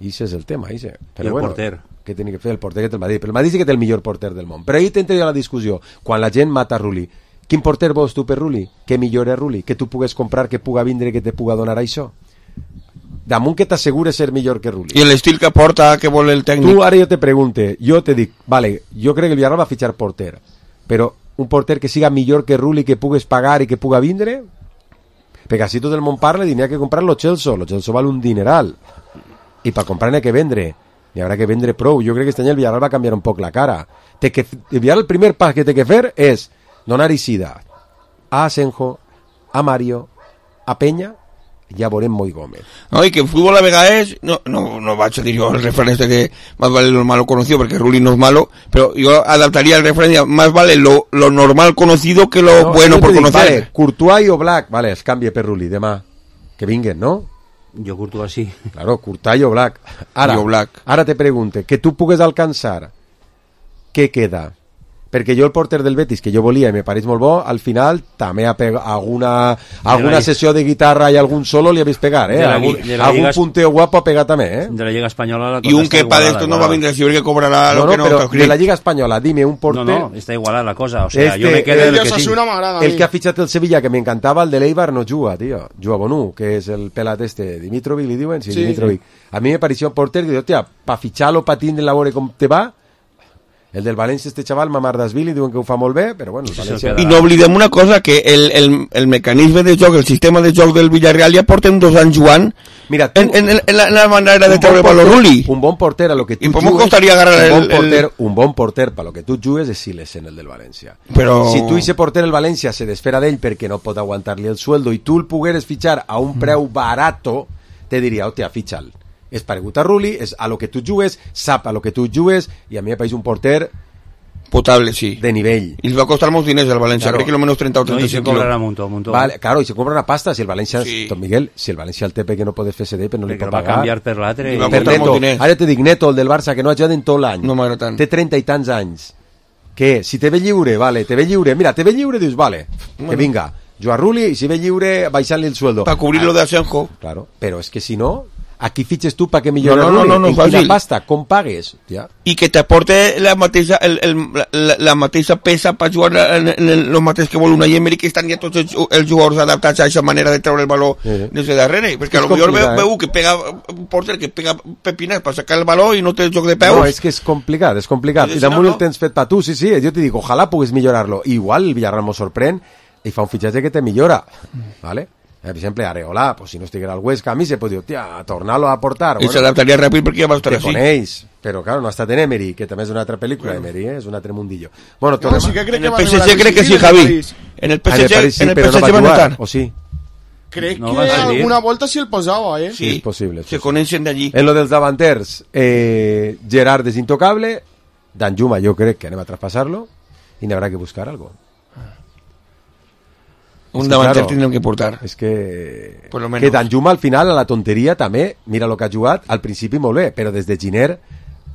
I això és el tema, Però, el porter. Que té que fer el porter que té el Madrid. Però el Madrid sí que té el millor porter del món. Però ahir t'entraria la discussió. Quan la gent mata Rulli, quin porter vols tu per Rulli? Què millor és Rulli? Que tu pugues comprar, que puga vindre, que te puga donar això? Damunt que t'assegures ser millor que Rulli. I l'estil que porta, que vol el tècnic. Tu ara jo te pregunte, jo te dic, vale, jo crec que el Villarreal va fitxar porter, però un porter que siga millor que Rulli, que pugues pagar i que puga vindre, perquè si tot el món parla, n'hi ha que comprar lo Chelsea val un dineral, i per comprar n'hi ha que vendre, n'hi haurà que vendre prou. Jo crec que este any el Villarreal va canviar un poc la cara. El Villarreal el primer pas que té que fer és donar eixida a Asenjo, a Mario, a Peña, ja veurem Moi Gómez. No, i que en futbol a vegades no vaig a dir jo el refrán este que más vale lo malo conocido, porque Rulli no es malo, pero yo adaptaría el refrán, más vale lo normal conocido que lo bueno por conocer. Vale, Courtois i Oblak, vale, es canvia per Rulli demà, que vinguen, no? Jo Courtois sí. Claro, Courtois i Oblak. Ara te pregunte, que tu pugues alcançar, què queda? Perquè jo el porter del Betis, que jo volia i me pareix molt bo, al final també alguna sessió de guitarra i algun solo li ha vist pegar, algun punteo guapo ha pegat també, De la Lliga Espanyola... I un que pa d'esto no va vindre a que cobrarà lo que no però de la Lliga Espanyola, dime un porter... No, està igualada la cosa, o sea, jo me quedo el que tinc. El que ha fitxat el Sevilla, que m'encantava, el de l'Eibar, no juga, tio. Juga Bonú, que és el pelat Dimitrovic, li diuen? Sí, Dimitrovic. A mi me pareció un porter que diu, hòstia, pa fitxar-lo, pa tindre la veure com te va. El del València, este xaval, Mamardashvili, diuen que ho fa molt bé, però bueno... I no oblidem una cosa, que el mecanisme de joc, el sistema de joc del Villarreal ja porten 2 anys jugant en la manera de treure per Rulli. Un bon porter a lo que tu jugues... I com costaria agarrar un bon porter per lo que tu jugues és Silesen, el del València. Però... Si tu ese porter el València se desfera d'ell perquè no pot aguantar-li el sueldo i tu el pogueres fitxar a un preu barato, te diria, hòstia, fitxa'l. És paregut a Rulli, és a lo que tu jugues, sap a lo que tu jugues, i a mi me pareix un porter potable, sí. De nivell. I els va costar molts diners al València, crec que lo menos 30 o 35 no, i se cobrarà un montón. Vale, claro, i se cobra una pasta, si el València, Don Miguel, si el València el té perquè no podes fer CD, però no li pot pagar. Va canviar per l'altre. Per Neto, ara te dic Neto, el del Barça, que no ha jugat en tot l'any. No m'agrada tant. Té 30 i tants anys. Que si te ve lliure, vale, te ve lliure, mira, te ve lliure, dius, vale, que vinga, jugar Rulli, i si ve lliure, baixant-li el sueldo. Per cobrir lo de Asenjo. Claro, però és que si no... Aquí fitxes tu perquè millorar-lo. No, en quina pasta, com pagues? Ja. I que t'aporte la mateixa peça per jugar en el mateix que vol una Emery, que estan ja tots els jugadors adaptats a aquesta manera de treure el baló des de darrere, perquè a lo millor veu que pega un porter que pega pepines per sacar el baló i no té el joc de peus. No, és que és complicat. I damunt el tens fet per tu, sí, jo te dic, ojalà puguis millorar-lo. Igual el Villarreal mos sorprèn i fa un fitxatge que te millora, ¿vale? Per exemple, Areola, pues si no estiguera al Huesca, a mi se pot dir, tia, tornar-lo a portar. I s'adaptaria ràpid perquè ja va estar així. Te coneix, però claro, no ha estat en Emery, que també és una altra pel·lícula, Emery, és un altre mundillo. Bueno, en el PSG crec que sí, Javi. En el PSG va notar. O sí? Crec que alguna volta sí el posava, eh? Sí, és possible. Se coneixen d'allí. En lo dels davanters, Gerard és intocable, Danjuma jo crec que anem a traspassar-lo i n'haurà que buscar algo. Un davanter tindrem que portar. És que Danjuma al final, a la tonteria també, mira el que ha jugat, al principi molt bé, però des de Giner,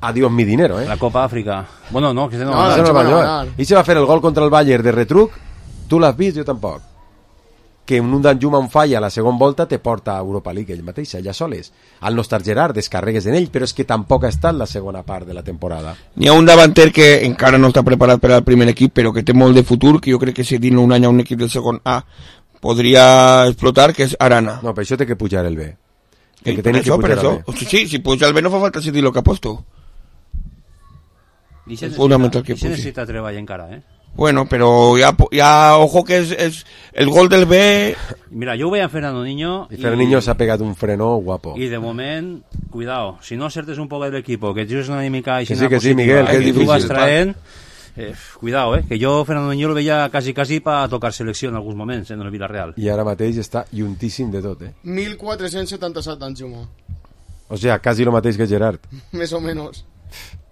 adiós mi dinero, La Copa Àfrica. Bueno, no, que no va jugar. I se va fer el gol contra el Bayern de retruc, tu l'has vist, jo tampoc. Que un Danjuma on falla a la segona volta te porta a Europa League ell mateix, allà soles. Al no estar Gerard, descarregues en ell, però és que tampoc ha estat la segona part de la temporada. N'hi ha un davanter que encara no està preparat per al primer equip, però que té molt de futur, que jo crec que si dins un any a un equip del segon A podria explotar, que és Arana. No, per això té que pujar el B. Que per això. Sí, si puja el B no fa falta decidir el que aposto. I se necessita treball encara, Bueno, pero ya ojo que es el gol del B. Mira, yo voy a Fernando Niño. Y Fernando Niño se ha pegado un freno guapo. Y de momento, cuidado, si no acertes un poco del equipo, que tú es una dinámica y que sí, Miguel, que es difícil. Tú vas traen, cuidado, que yo Fernando Niño lo veía casi para tocar selección en algunos momentos en el Villarreal. Y ara mateix està juntíssim de tot, 1477 Danjuma. O sea, casi lo mateix que Gerard. Més o menos.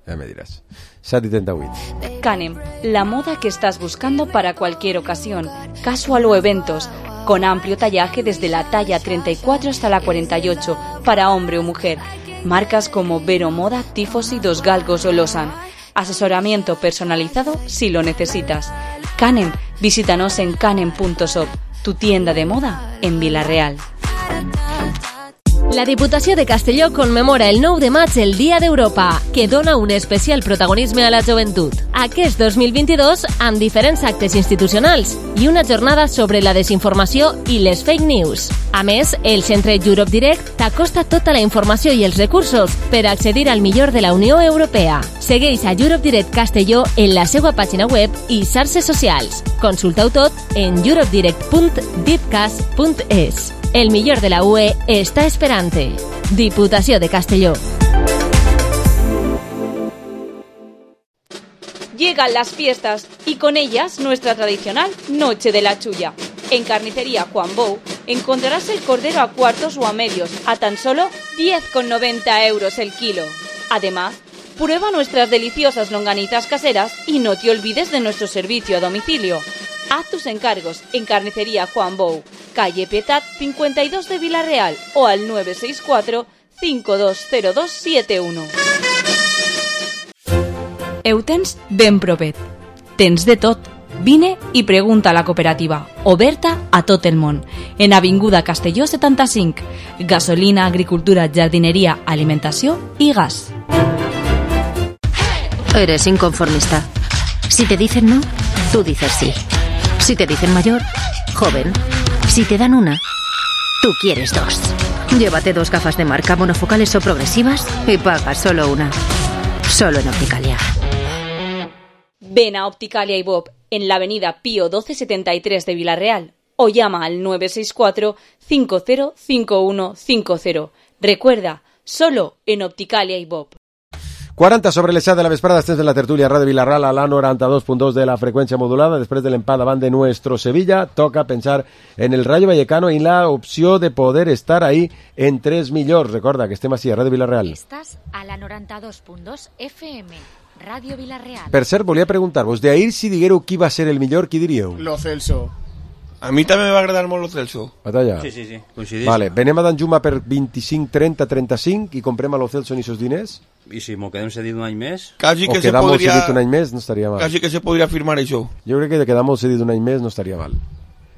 Ya me dirás. 7:38. Canem, la moda que estás buscando para cualquier ocasión, casual o eventos, con amplio tallaje desde la talla 34 hasta la 48, para hombre o mujer. Marcas como Vero Moda, Tifosi, Dos Galgos o Losan. Asesoramiento personalizado si lo necesitas. Canem, visítanos en canem.shop, tu tienda de moda en Vila-real. La Diputació de Castelló commemora el 9 de maig el Dia d'Europa, que dona un especial protagonisme a la joventut. Aquest 2022 amb diferents actes institucionals i una jornada sobre la desinformació i les fake news. A més, el Centre Europe Direct t'acosta tota la informació i els recursos per accedir al millor de la Unió Europea. Segueix a Europe Direct Castelló en la seva pàgina web i xarxes socials. Consulta-ho tot en europedirect.dipcas.es. El millor de la UE está esperante. Diputació de Castelló. Llegan las fiestas y con ellas nuestra tradicional Noche de la Chulla. En Carnicería Juan Bou encontrarás el cordero a cuartos o a medios a tan solo 10,90 euros el kilo. Además, prueba nuestras deliciosas longanitas caseras y no te olvides de nuestro servicio a domicilio. Haz tus encargos en Carnicería Juan Bou, calle Pietat 52 de Vila-real o al 964 520271. Eutens ben propet. Tens de tot. Vine i pregunta a la cooperativa, oberta a tot el món. En Avinguda Castelló 75. Gasolina, agricultura, jardinería, alimentació i gas. Eres inconformista. Si te dicen no, tú dices sí. Si te dicen mayor, joven. Si te dan una, tú quieres dos. Llévate 2 gafas de marca monofocales o progresivas y paga solo una. Solo en Opticalia. Ven a Opticalia y Bob en la avenida Pío 1273 de Vila-real o llama al 964 505150. Recuerda, solo en Opticalia y Bob. 40 sobre les 7 de la vesprada, estés de la tertúlia Ràdio Vila-real a la 92.2 de la frecuencia modulada. Després de l'empat davant de nuestro Sevilla, toca pensar en el Rayo Vallecano y la opció de poder estar ahí en 3 millors. Recorda que estem així a Ràdio Vila-real. Estàs a la 92.2 FM, Ràdio Vila-real. Per cert, volia preguntar-vos, d'ahir si diguéreu qui va ser el millor, qui diríeu? Lo Celso. A mi també me va agradar molt Lo Celso. Batalla? Sí, coincidís. Vale, venem a Danjuma per 25, 30, 35 i comprem a Lo Celso ni sos diners? I si m'ho quedem cedit un any més? Quasi que o quedamos cedit un any més no estaria mal. Quasi que se podria firmar això. Jo crec que de quedamos cedit un any més no estaria mal.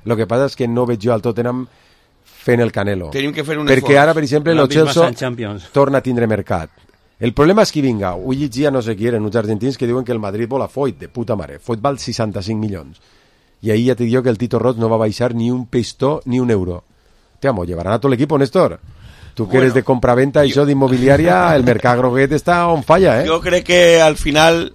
Lo que passa és que no veig jo al Tottenham fent el Canelo. Tenim que fer un perquè esforç. ara, per exemple, el Chelsea torna a tindre mercat. El problema és que vinga, ho llegia no sé qui eren uns argentins que diuen que el Madrid vol a Foyt, de puta mare. Foyt val 65 milions. I ahí ja te digo que el Tito Roig no va baixar ni un pistó ni un euro. Te amo, llevarán a todo el equipo, Néstor. Tú que eres de compraventa y eso de inmobiliaria, el mercat groguet està on falla, Jo crec que al final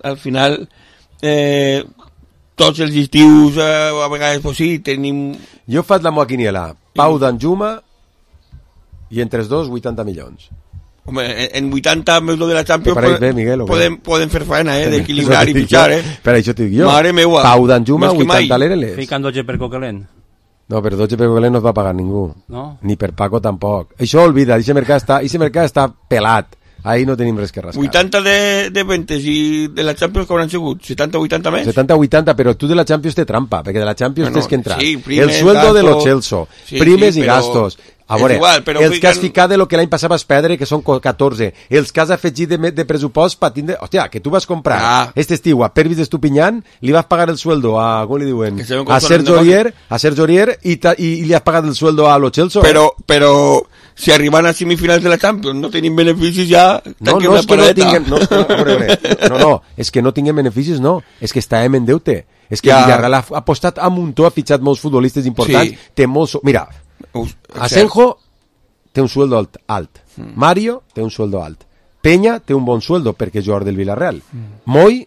tots els estius a vegades pues sí, tenim... Jo faig la meva quiniela. Pau Danjuma i entre els dos 80 milions. Home, en 80 més lo de la Champions podem fer faena, d'equilibrar i pitjar, Per això t'ho dic jo. Mare meua. Pau Danjuma, 80 l'Ereles. Fican 12 per Coquelin. No, per 12 per Coquelin no es va pagar ningú. No? Ni per Paco tampoc. Això olvida, aquest mercat està pelat. Ahí no tenim res que rascar. 80 de ventes i de la Champions que hauran sigut? 70-80 més? 70-80, però tu de la Champions té trampa, perquè de la Champions tens que entrar. Sí, primes, el sueldo gastos, de los Chelsea, primes i gastos. A veure, els que has ficat de lo que l'any passat vas perdre, que són 14, els que has afegit de pressupost per tindre... Hòstia, que tu vas comprar este estiu a Pervis d'Estupinyán, li vas pagar el sueldo a... Com li diuen? A Sergio Aurier i li has pagat el sueldo a los Chelsea. Però si arriban a semifinals de la Champions no tenim beneficis ja... No, és que no tinguem... No, és que no tinguem beneficis, no. És que estàvem en deute. És que Villarreal ha apostat a muntó, ha fitxat molts futbolistes importants, té molts... Mira, Asenjo té un sueldo alt. Mario té un sueldo alt. Peña té un bon sueldo perquè és jugador del Villarreal. Moy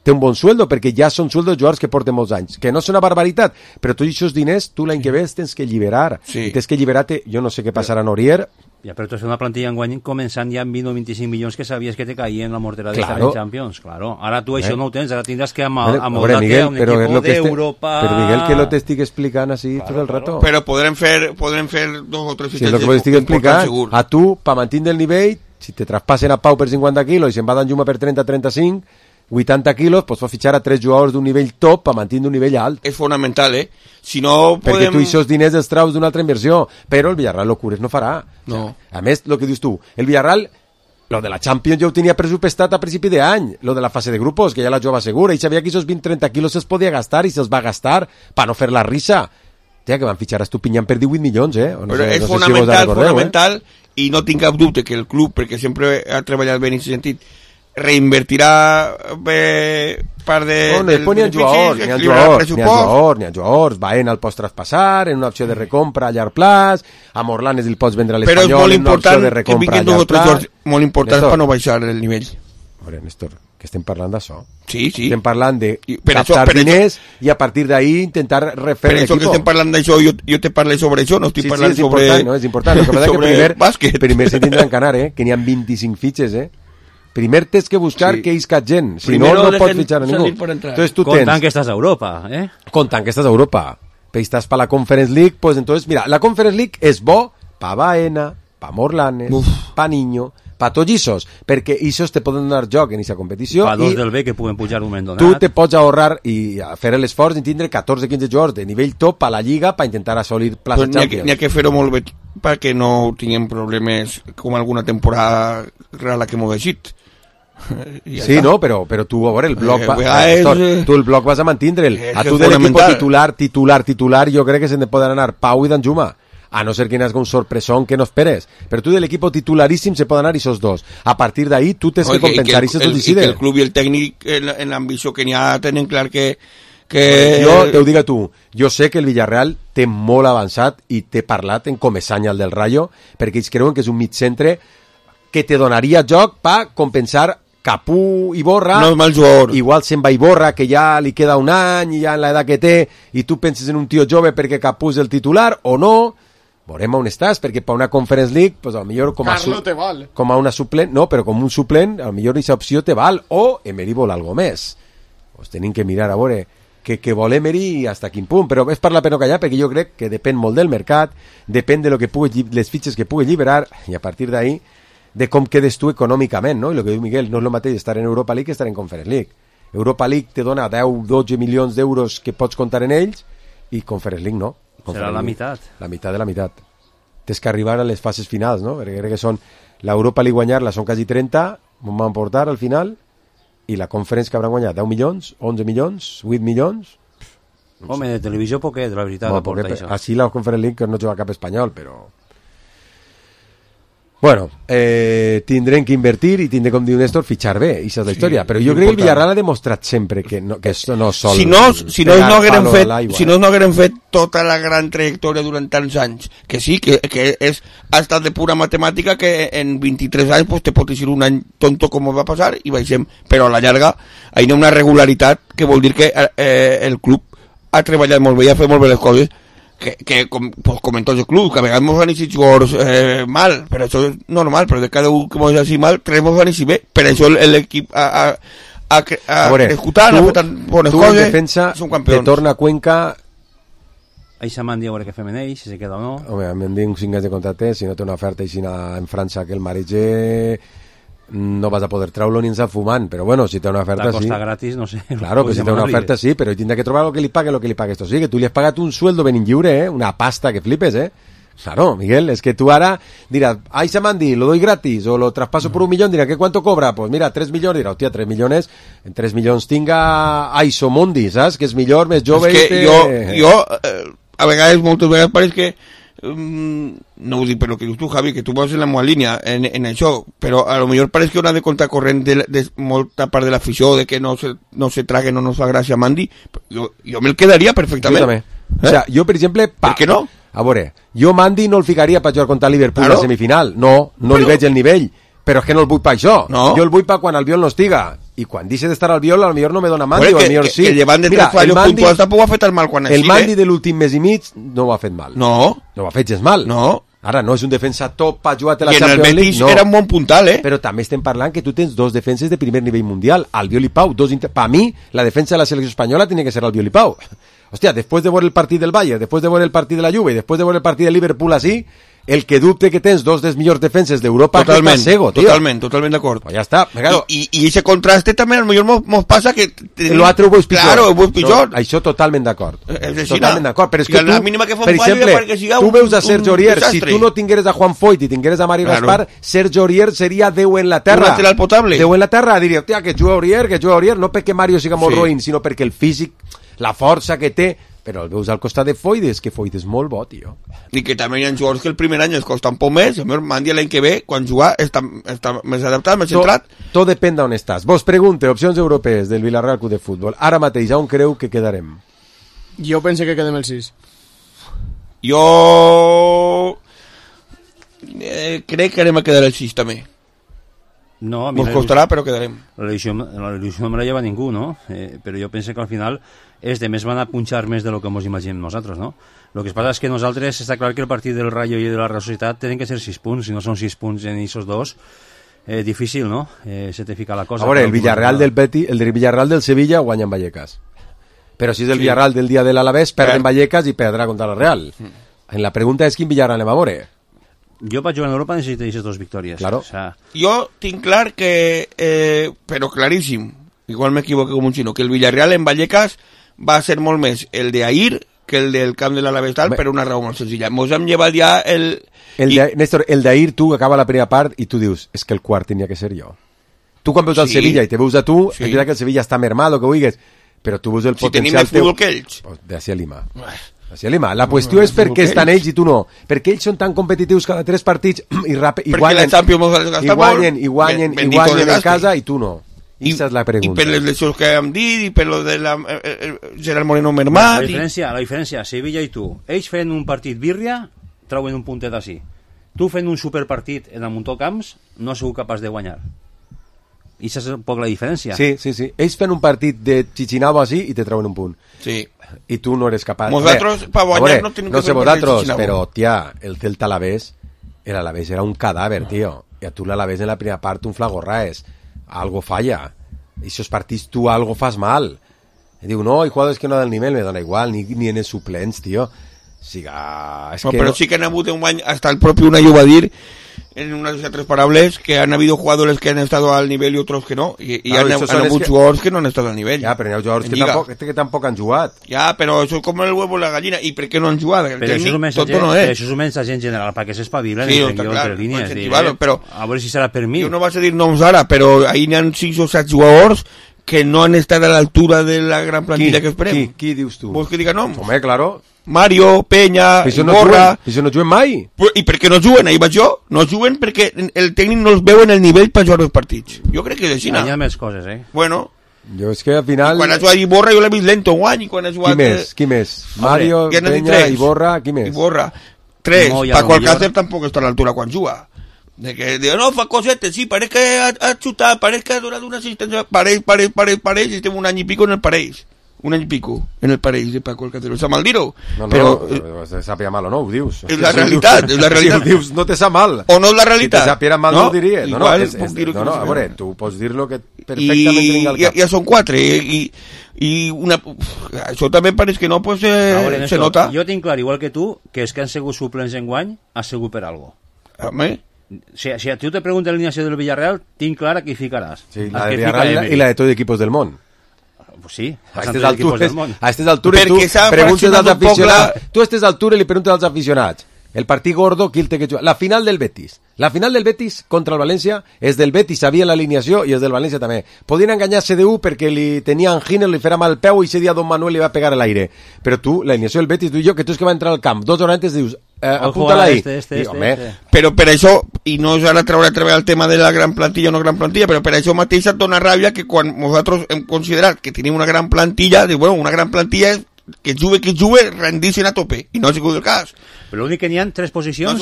té un bon sueldo perquè ja són sueldos de jugadors que porten molts anys. Que no és una barbaritat, però tots aquests diners tu l'any que ve tens que alliberar. Tens que alliberar-te, jo no sé què passarà en Aurier. Ja, però tu és una plantilla enguany començant ja amb 20 o 25 milions que sabies que te caien la mortera d'estar en Champions. Claro. Ara tu això no ho tens, ara tindràs que amoldar-te a un equip d'Europa... Però Miguel, que lo t'estic explicant així tot el rato. Però podrem fer 2 o 3 fitxatges. Si és el que t'estic explicant, a tu, per mantenir el nivell, si te traspassen a Pau per 50 quilos i se'n va Danjuma per 30-35, 80 quilos, pues fa fitxar a 3 jugadors d'un nivell top per mantenir un nivell alt. És fonamental, Si no podem... Perquè tu aquests diners els traus d'una altra inversió, però el Villarreal locures no farà. No. O sea, a més, el que dius tu, el Villarreal, lo de la Champions ja ho tenia pressupostat a principi d'any, lo de la fase de grupos, que ja la jugava segura, i sabia que aquests 20-30 quilos se'ls podia gastar i se'ls va gastar per no fer la risa. Tia, que van fitxar a Estupinyán per 18 milions, No però és fonamental, i no tinc cap dubte que el club, perquè sempre ha treballat bé en aquest sentit, reinvertirà part de... No, després n'hi ha jugadors, Baena el pots traspassar, en una opció de recompra a llarg plaç, a Morlanes el pots vendre a l'Espanyol en una opció de recompra a llarg plaç. Molt important per no baixar el nivell. A veure, Néstor, que estem parlant d'això. Sí. Estem parlant de captar diners i a partir d'ahí intentar refer l'equip. Per això que estem parlant d'això, jo te parlo sobre això, no estic parlant sobre... Sí, és important. El que passa que primer se tindran que anar, que n'hi ha 25 fitxes, Primer tens que buscar que isca gent, si no, no pots fitxar a ningú. Entonces, Contant que estàs a Europa, Contant que estàs a Europa. Però estàs per la Conference League, pues entonces, mira, la Conference League és bo pa Baena, pa Morlanes, pa Niño, pa tots issos, perquè issos te poden donar joc en aquesta competició. Pa dos del B que puguen pujar un moment donat. Tu te pots ahorrar i fer l'esforç i tindre 14-15 jugadors de nivell top a la Lliga per intentar assolir plaça Champions. N'hi ha que fer-ho molt bé perquè no tinguem problemes com alguna temporada rara que m'ho deixit. Sí, no, però tu, a veure, el bloc tu el bloc vas a mantindre'l. A tu de l'equip titular jo crec que se'n poden anar Pau i Danjuma, a no ser que n'has un sorpresón que no esperes, però tu de l'equip titularíssim se poden anar esos dos. A partir d'ahí tu tens que compensar i se t'ho decide. I que el club i el tècnic en l'ambició que n'hi ha tenen clar que... Jo te ho dic a tu, jo sé que el Villarreal té molt avançat i t'he parlat en Comesaña, el del Rayo, perquè ells creuen que és un mig centre que te donaria joc per compensar Capú i Borra. No és mal jugador. Igual se'n va i Borra, que ja li queda un any i ja en l'edat que té, i tu penses en un tio jove perquè Capú és el titular o no. Veurem on estàs, perquè per una Conference League, pues, millor com a una suplent, no, però com un suplent, millor aquesta opció te val, o Emery vol algo més. Pues tenim que mirar a veure que vol Emery i hasta quin punt, però és per la pena callar, perquè jo crec que depèn molt del mercat, depèn de lo que les fitxes que pugui alliberar, i a partir d'ahí de com quedes tu econòmicament, no? I el que diu Miguel, no és el mateix estar en Europa League que estar en Conference League. Europa League te dona 10-12 milions d'euros que pots comptar en ells i Conference League no. Serà la meitat. La meitat de la meitat. Tens que arribar a les fases finals, no? Perquè crec que són l'Europa League guanyar-la són quasi 30, on van portar al final, i la Conference que hauran guanyat 10 milions, 11 milions, 8 milions, Home, de televisió poquet, la veritat, no, aporta això. Així la Conference League que no juga cap espanyol, però... Bueno, tindrem que invertir i tindrem, com diu Néstor, fitxar bé, i això és la història. Però jo crec que el Villarreal ha demostrat sempre que això no sol... Si no hagueren fet tota la gran trajectòria durant tants anys, que sí, que ha estat de pura matemàtica, que en 23 anys pues, te pot dir un any tonto com va passar i baixem, però a la llarga hi ha una regularitat que vol dir que el club ha treballat molt bé i ha fet molt bé les coses, que com en tots els clubs, que a vegades mos van eixir jugadors mal, però això és normal, però de cada un que mos eixir mal, tres mos van eixir bé, per això l'equip ha escutat, ha fet tan bones coses, tu en defensa te torna a Cuenca. Eixa m'han dit a veure què fem en ell, si se queda o no. Home, m'han dit uns 5 anys de contracte, si no té una oferta així en França que el mareja, no vas a poder treure-lo ni ens fumant, però bueno, si té una oferta la costa sí. Gratis, no sé. Claro, pues si té una oferta sí, però tindrà que trobar lo que li pague esto. Sí, que tu li has pagat un sueldo ben lliure, una pasta que flipes, Claro, Miguel, es que tú ahora dirás, ay, Samandi, lo doy gratis, o lo traspaso por 1 millón, dirá, ¿qué cuánto cobra? Pues mira, 3 millones, dirá, hostia, 3 millones, en 3 millones tinga Aiso Mondi, ¿sabes? Que es millor, més jove. És que jo a vegades, moltes vegades pareix que no ho dic per lo que dius tu, Javi, que tu vas en la meva línia en això, però a lo millor pareix que una de contra corrent de molta part de l'afició de que no se traguen o no fa gràcia a Mandi, jo me'l quedaria perfectament. Jo també. O sea, jo, per exemple, per què no? A veure, jo Mandi no el ficaria per jugar contra Liverpool a semifinal, no li veig el nivell, però és que no el vull per això, jo el vull per quan Albiol no estiga, i quan deixe d'estar Albiol, a lo millor no me dona Mandi, o a lo millor sí. Que llevant de 3 fallos puntuals tampoc ho ha fet el mal quan el Mandi de l'últim mes i mig no ho ha fet mal. No ho ha fet gens mal. Ara, no és un defensa top per jugar a la Champions League. I en el Betis era un bon puntal, Però també estem parlant que tu tens 2 defenses de primer nivell mundial, Albiol i Pau. Per mi, la defensa de la selecció espanyola tiene que ser Albiol i Pau. Hostia, después de ver el partido del Bayern, después de ver el partido de la Juve, después de ver el partido del Liverpool así, el que dubte que tens 2 dels millors defenses d'Europa totalment, que cego, tío. Totalment d'acord. Pues ya está. Claro. I ese contraste també, a lo millor mos passa que... L'altre ho veus pitjor. Claro, ho veus pitjor. Això totalment d'acord. Totalment d'acord. Però és que tu, per exemple, tu veus a Sergio Aurier, si tu no tingueres a Juan Foyt i tingueres a Mario Gaspar, Sergio Aurier seria 10 en la terra. Un lateral potable. 10 en la terra, diria, hòstia, que juga Aurier, no perquè Mario siga molt roïn, sinó perquè el físic, la força que té, però el veus al costat de Foyt, és que Foyt és molt bo, tio. I que també hi ha jugadors que el primer any es costa un poc més, el meu Mandi l'any que ve, quan jugar, està més adaptat, més centrat. Tot depèn d'on estàs. Vos pregunte, opcions europees del Villarreal Club de Futbol. Ara mateix, on creu que quedarem? Jo pense que quedem el 6. Jo crec que anem a quedar el 6 també. No, a mi nos costarà, però quedarem. La il·lusió no me la lleva ningú, no? Però jo penso que al final els demés van a punxar més de lo que ens imaginem nosaltres, no? Lo que passa és que nosaltres, està clar que el partit del Rayo i de la Real Societat tenen que ser 6 punts, si no són 6 punts en aquests dos, difícil, no? Se te fica la cosa. A veure, el Villarreal del Betis, el Villarreal del Sevilla guanya en Vallecas. Però si és el Villarreal del dia de l'Alavés, perd en Vallecas i perdrà contra la Real. En la pregunta és quin Villarreal anem a veure. Jo per jugar en Europa necessito aquestes 2 victòries. Claro. O sea... Jo tinc clar que, però claríssim, igual m'equivoco com un xino, que el Villarreal en Vallecas va ser molt més el de Ahir que el del camp de l'Alavés tal, per una raó molt senzilla. Mos hem llevat ja Néstor, el d'Ahir, tu acaba la primera part i tu dius, és que el quart tenia que ser jo. Tu quan veus al Sevilla i te veus a tu, és veritat que el Sevilla està mermat, o que vulguis, però tu veus el potencial teu... Si tenim el futbol que ells. D'ací a Lima. La qüestió és per què estan ells i tu no. Perquè ells són tan competitius cada 3 partits i guanyen en casa i tu no. Esa és la pregunta. I per les lesions que hem dit, i per lo de Gerard Moreno mermat... La diferència, Sevilla i tu, ells fent un partit birria, trauen un puntet així. Tu fent un superpartit en el Montó Camps, no has sigut capaç de guanyar. I això és un poc la diferència. Sí. Ells fent un partit de Chichinabo així i te treuen un punt. Sí. I tu no eres capaç. Nosaltres, per guanyar, no tenim que fer un partit de Chichinabo. Però, tia, el Celta Alavés, l'Alavés era un cadàver, tio. I a tu l'Alavés en la primera part un flagorraes. Algo falla. Y esos partidos tú algo fas mal. Y digo, no, hay jugadores que no dan el nivel, me dona igual, ni en el suplents, tío. Siga, es no, que pero no... sí que han habido un año, hasta el propio Unai va a decir en unas de 3 parables que han habido jugadores que han estado al nivel y otros que no, y claro, han habido jugadores que no han estado al nivel. Ya, pero hay jugadores que tampoco han jugado. Ya, pero eso es como el huevo y la gallina. ¿Y por qué no han jugado? Pero eso es un mensaje en general para que se espabilen entre líneas. Pero a ver si será permitido. Yo no vas a decir noms ara, pero ahí n'hi ha 6 o 7 jugadors que no han estat a l'altura de la gran plantilla que esperem. Qui dius tu? Vols que diga noms? Home, claro. Mario, Peña, Iborra... I això no juguen mai? I per què no juguen? Ahir vaig jo. No juguen perquè el tècnic no els veu en el nivell per jugar els partits. Jo crec que és així. Hi ha més coses, Bueno... Jo és que al final... I quan ha jugat Iborra jo l'he vist lento guany. I quan ha jugat... Qui més? Mario, Peña, Iborra, qui més? Iborra. 3. Paco Alcácer tampoc està a l'altura quan juga. De que no, fa cosetes, sí, pareix que ha xutat, pareix que ha donat una assistència, pareix, i estem un any i pico en el pareix. Un any i pico en el pareix de Paco Alcácer. Està mal dir-ho? No, però te sàpiga mal o no, ho dius. És la realitat, és la realitat. Si ho dius, no te sap mal. O no és la realitat. Si te sàpiga mal, no ho diria. Igual puc dir-ho. No, a veure, tu pots dir-lo que perfectament tinc al cap. Ja són 4, i una... Això també pareix que no, pues se nota. Jo tinc clar, igual que tu, que els que han sigut suplents en guany, ha sigut per algo. Home... Si a tu te preguntes l'alineació del Villarreal, tinc clara que hi ficaràs. Sí, la del Villarreal i la de tots els equipos del món. Pues sí, a aquestes altures tu preguntes als aficionats. Tu a aquestes altures li preguntes als aficionats. El partit gordo, qui el té que jugar? La final del Betis. La final del Betis contra el València és del Betis, sabia l'alineació, i és del València també. Podien enganyar CDU perquè li tenia angina, li fera mal el peu i ese dia Don Manuel li va pegar a l'aire. Però tu, l'alineació del Betis, tu i jo, que tu és que va entrar al camp 2 hores antes, dius, apunta-la ahí. Però per això, i no és ara treure el tema de la gran plantilla o no gran plantilla, però per això mateix et dona ràbia que quan nosaltres hem considerat que tenim una gran plantilla, diu, bueno, una gran plantilla és que jugue, rendissin a tope, i no ha sigut el cas. Però l'únic que n'hi ha 3 posicions,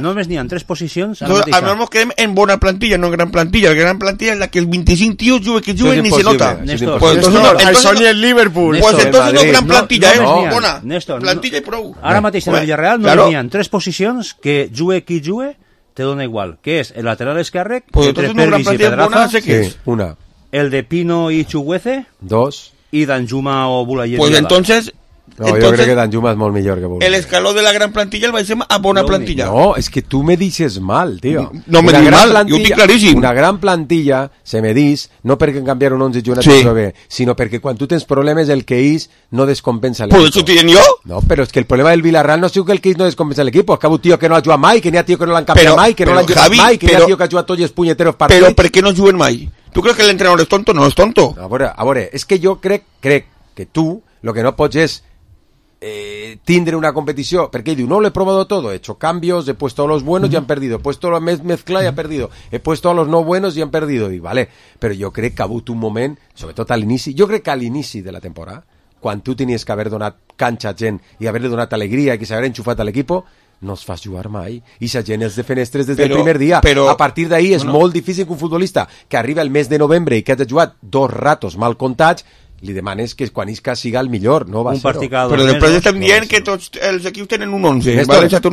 només n'hi ha 3 posicions. Almenys ens quedem en bona plantilla, no en gran plantilla. La gran plantilla es la que els 25 tios juguen ni se nota. Això ni el Liverpool. Pues entonces no gran plantilla, bona plantilla i prou. Ara mateix en el Villarreal no n'hi ha 3 posicions que jugue qui jugue, te dona igual, que és el lateral esquerre, entre Pervis i Pedraza, el de Pino i Chuguece, 2, y Danjuma o Bulayer. Pues entonces... No, yo creo que Danjuma es molt millor que Bulayer. El escaló de la gran plantilla el vais a bona plantilla. No, es que tú me dices mal, tío. No me dices mal, yo estoy claríssim. Una gran plantilla se me dis, no perquè canviar un 11 jugadors sí, bé, sinó perquè quan tu tens problemes el que és no descompensa l'equip. ¿Pues eso tienen yo? No, pero es que el problema del Villarreal no es que el que és no descompensa l'equip, és que un tío que no ha jugat mai, que n'hi ha tío que no l'han canviat mai, que no l'han jugat mai, que n'hi ha tío que ha jugat tots els punyeteros partits. Però per què no juguen mai? ¿Tú crees que el entrenador es tonto? No es tonto. A veure, es que yo crec que tú lo que no pots es tindre una competición, porque digo, no lo he probado todo, he hecho cambios, he puesto a los buenos y han perdido, he puesto a los mezcla y han perdido, he puesto a los no buenos y han perdido, y vale, però jo crec que ha hagut un moment, sobretot a l'inici, jo crec que a l'inici de la temporada, quan tu tenies que haver donat canxa a gent i haver-li donat alegria i que s'haver enxufat a l'equip, no es fas jugar mai, i sa gent és de fenestres des del primer dia, a partir d'ahir és molt difícil que un futbolista que arriba el mes de novembre i que ha jugat 2 ratos mal comptats li demanes que quan isca siga el millor, no va ser-ho. Però després estem dient que tots els equips tenen un 11. Tu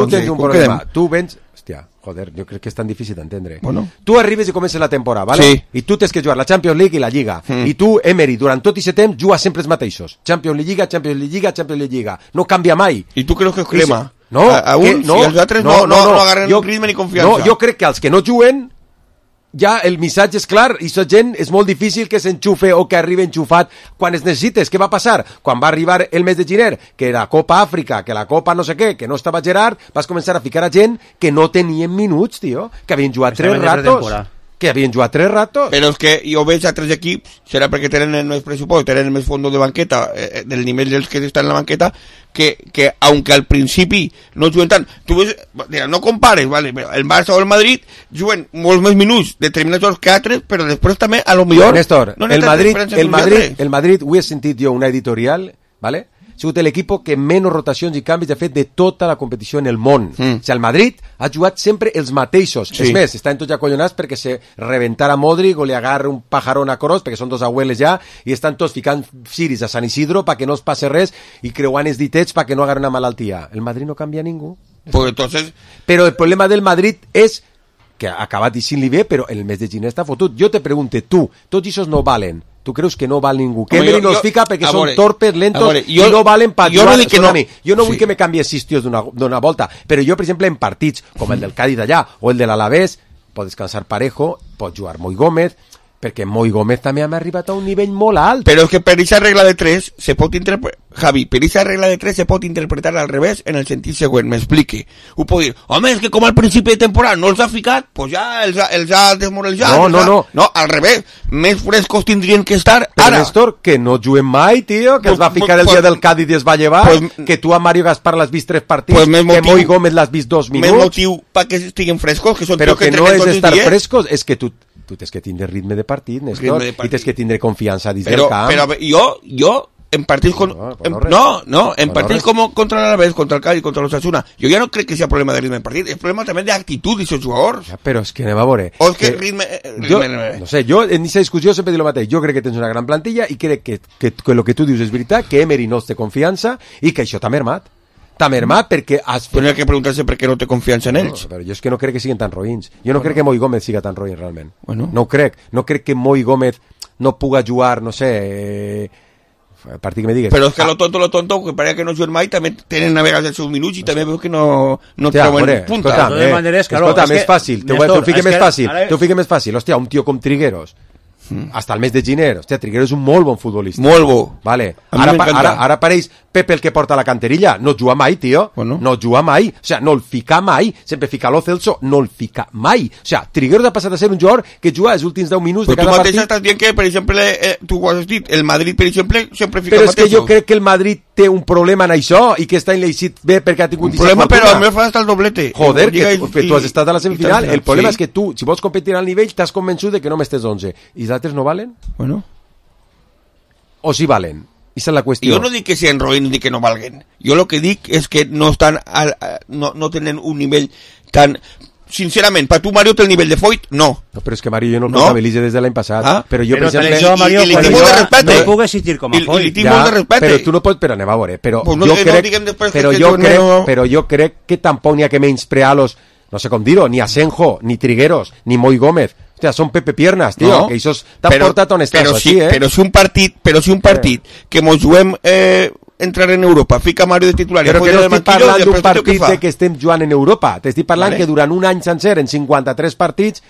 tens un problema. Tu vens... Hòstia, joder, jo crec que és tan difícil d'entendre. Tu arribes i comences la temporada, ¿vale? Sí. I tu tens que jugar la Champions League i la Lliga. I tu, Emery, durant tot aquest temps, jugues sempre els mateixos. Champions League, Lliga, Champions League, Lliga, Champions League, Lliga. No canvia mai. I tu creus que és crema? No. A uns, i els altres no agarren ritme ni confiança. No, jo crec que els que no juguen ja el missatge és clar i la gent és molt difícil que s'enxufe o que arribi enxufat quan es necessites. Què va passar? Quan va arribar el mes de gener, que la Copa Àfrica, que la Copa no sé què, que no estava Gerard, vas començar a ficar a gent que no tenien minuts, tio, que havien jugat 3 ratos. Que havien jugat 3 ratos. Però és que jo veig a 3 equips, serà perquè tenen el més pressupost, tenen el més fons de banqueta, del nivell dels que estan en la banqueta, que aunque al principi no juguen tant, tu ves, no compares, vale, el Barça o el Madrid juguen molts més minuts determinats jocs que altres, però després també, a lo millor... Néstor, no el Madrid, ho he sentit jo una editorial, vale? Ha sigut l'equip que menys rotacions i canvis ha fet de tota la competició en el món. O sigui, el Madrid ha jugat sempre els mateixos. Sí. És més, estan tots acollonats perquè se reventara Modric o li agarra un pajarón a Kroos, perquè són 2 abueles ja, i estan tots ficant ciris a San Isidro perquè no es passe res i creuant els ditets perquè no agarren una malaltia. El Madrid no canvia ningú. Pues entonces... Però el problema del Madrid és que ha acabat dixint-li bé, però el mes de gener està fotut. Jo te pregunte, tu, tots aquests no valen. Tu creus que no val ningú? Que Emery no els fica perquè són torpes, lentos i no valen per jugar. Jo no vull que me canvies 6 tios d'una volta, però jo, per exemple, en partits com el del Cádiz d'allà o el de l'Alavés, pot descansar Parejo, pot jugar Moi Gómez, perquè Moi Gómez també ha arribat a un nivell molt alt. Però és que per aquesta regla de 3 se pot interpretar, Javi, per aquesta regla de 3 se pot interpretar al revés en el sentit següent, m'explique. Ho pot dir, home, és que com al principi de temporada no els ha ficat, pues ja els ha desmoralitzat. No, al revés, més frescos tindrien que estar però ara. Néstor, que no juguen mai, tio, que els va ficar el dia del Cádiz i es va llevar, que tu a Mario Gaspar l'has vist 3 partits, que Moi Gómez l'has vist 2 minuts. Més motiu perquè estiguen frescos, que són però que no és estar frescos, és que tu tens que tindre ritme de partit, Néstor, i tens que tindre confiança dins del camp. Però jo en partits en partits com contra l'Alavés, contra el Cádiz, contra l'Osasuna, jo ja no crec que sigui problema de ritme de partit, és problema també d'actitud d'aquests jugadors. Ja, però és que anem a veure. O és que ritme... No sé, jo en aquesta discussió sempre dic el mateix, jo crec que tens una gran plantilla i crec que el que tu dius és veritat, que Emery no té confiança i que això t'ha mermat. T'ha mermat perquè has fet... Però hi ha que preguntar-se per què no té confiança en ells. Però jo és que no crec que siguin tan roïns. Jo no crec que Moi Gómez siga tan roïn realment. No ho crec. No crec que Moi Gómez no puga jugar, no sé... partit que me digues. Però és que lo tonto, que pareix que no juguen mai, també tenen a vegades els seus minuts i també veus que no treuen punta. Escolta'm, és fàcil. T'ho fique més fàcil. Hòstia, un tio com Trigueros, hasta el mes de gener, hòstia, Trigueros és un molt bon futbolista. Molt bo. Vale. Ara apareix Pepe el que porta la canterilla. No juga mai, tio. No juga mai. O sea, no el fica mai. Sempre fica Lo Celso, no el fica mai. O sea, Trigueros ha passat a ser un jugador que juga els últims 10 minuts de cada partit. Però tu mateix estàs dient que, per exemple, tu ho has dit, el Madrid, per exemple, sempre fica però mateixos. Però és que jo crec que el Madrid té un problema en això i que està enleixit bé perquè ha tingut... Un problema, però a mi fa hasta el doblete. Joder, que tu has estat a la semifinal. El problema és que tu, si vols competir al nivell, t'has convençut de que només tens 11. I els altres no valen? Bueno. O sí valen? Esa és la qüestió. Jo no dic que siguin roïns ni que no valguen. Jo lo que dic és que no estan no tenen un nivell tan... Sincerament, per tu Mario té el nivell de Foyt? No. No, però és que Mario jo no el comptabilitze des de l'any passat. Però jo, per exemple... Mario, i li tinc molt de respecte. No puc existir com a Foyt. I li tinc molt de respecte. Però tu no pots... Però anem a veure. Però jo crec que tampoc n'hi ha que menysprear-los, no sé com dir-ho, ni Asenjo, ni Trigueros, ni Moi Gómez. Hòstia, són Pepe Piernas, tio, que això t'ha portat on estàs així, Però si un partit que mos juguem entrar en Europa, fica Mario de titular... Però que no estic parlant d'un partit que estem jugant en Europa, t'estic parlant que durant un any sencer, en 53 partits,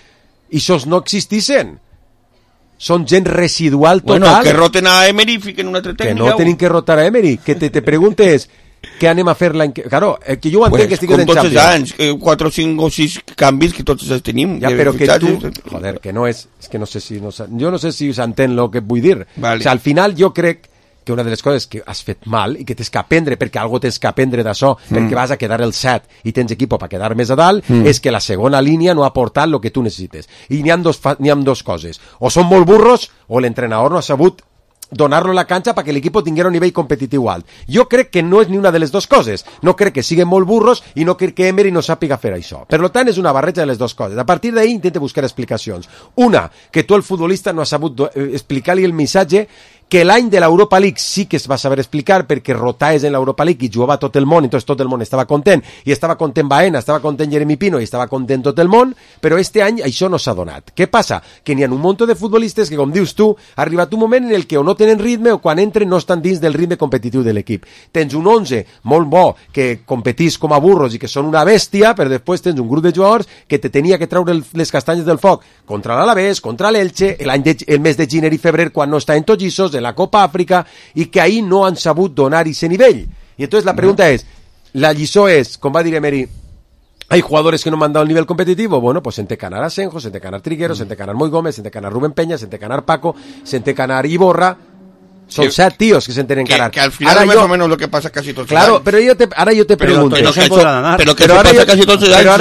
aquests no existissin. Són gent residual total. Bueno, que roten a Emery i fiquen una altra tècnica. Que no tenen que rotar a Emery, que te preguntes... Què anem a fer l'any que... Claro, que jo ho entenc que estigues en Champions. Com tots els anys, 4, 5 o 6 canvis que tots els tenim. Ja, però que tu... Joder, que no és... És que no sé si... Jo no sé si s'entén el que vull dir. Vale. O sea, al final jo crec que una de les coses que has fet mal i que tens que aprendre, perquè algo tens que aprendre d'això, perquè vas a quedar el 7 i tens equip per quedar més a dalt, és que la segona línia no ha aportat el que tu necessites. I n'hi ha dos coses. O són molt burros o l'entrenador no ha sabut donar-lo a la canxa perquè l'equip tinguera un nivell competitiu alt. Jo crec que no és ni una de les dues coses. No crec que siguin molt burros i no crec que Emery no sàpiga fer això. Per tant, és una barreja de les dues coses. A partir d'ahir intenta buscar explicacions. Una, que tu el futbolista no ha sabut explicar-li el missatge que l'any de l'Europa League sí que es va saber explicar perquè rotaves en l'Europa League i jugava tot el món, entonces tot el món estava content, i estava content Baena, estava content Jeremy Pino i estava content tot el món, però este any això no s'ha donat. Què passa? Que n'hi ha un munt de futbolistes que, com dius tu, ha arribat un moment en el que o no tenen ritme o quan entren no estan dins del ritme competitiu de l'equip. Tens un 11 molt bo que competís com a burros i que són una bèstia, però després tens un grup de jugadors que te tenia que treure les castanyes del foc contra l'Alavés, contra l'Elche, el mes de gener i febrer quan no estaven tots lliços, en la Copa Àfrica, i que ahí no han sabut donar ese nivell. Y entonces la pregunta es, la lliçó es, com va dir Emery, hay jugadores que no me han dado el nivel competitivo. Bueno, pues sente canar a Asenjo, sente canar Trigueros, sente canar Moi Gómez, sente canar Rubén Peña, sente canar Paco, sente canar Iborra. Son 7 tíos que se enten encarar. Que al final más o menos lo que pasa casi todos los años. Claro, pero ahora yo te pregunto. Pero ahora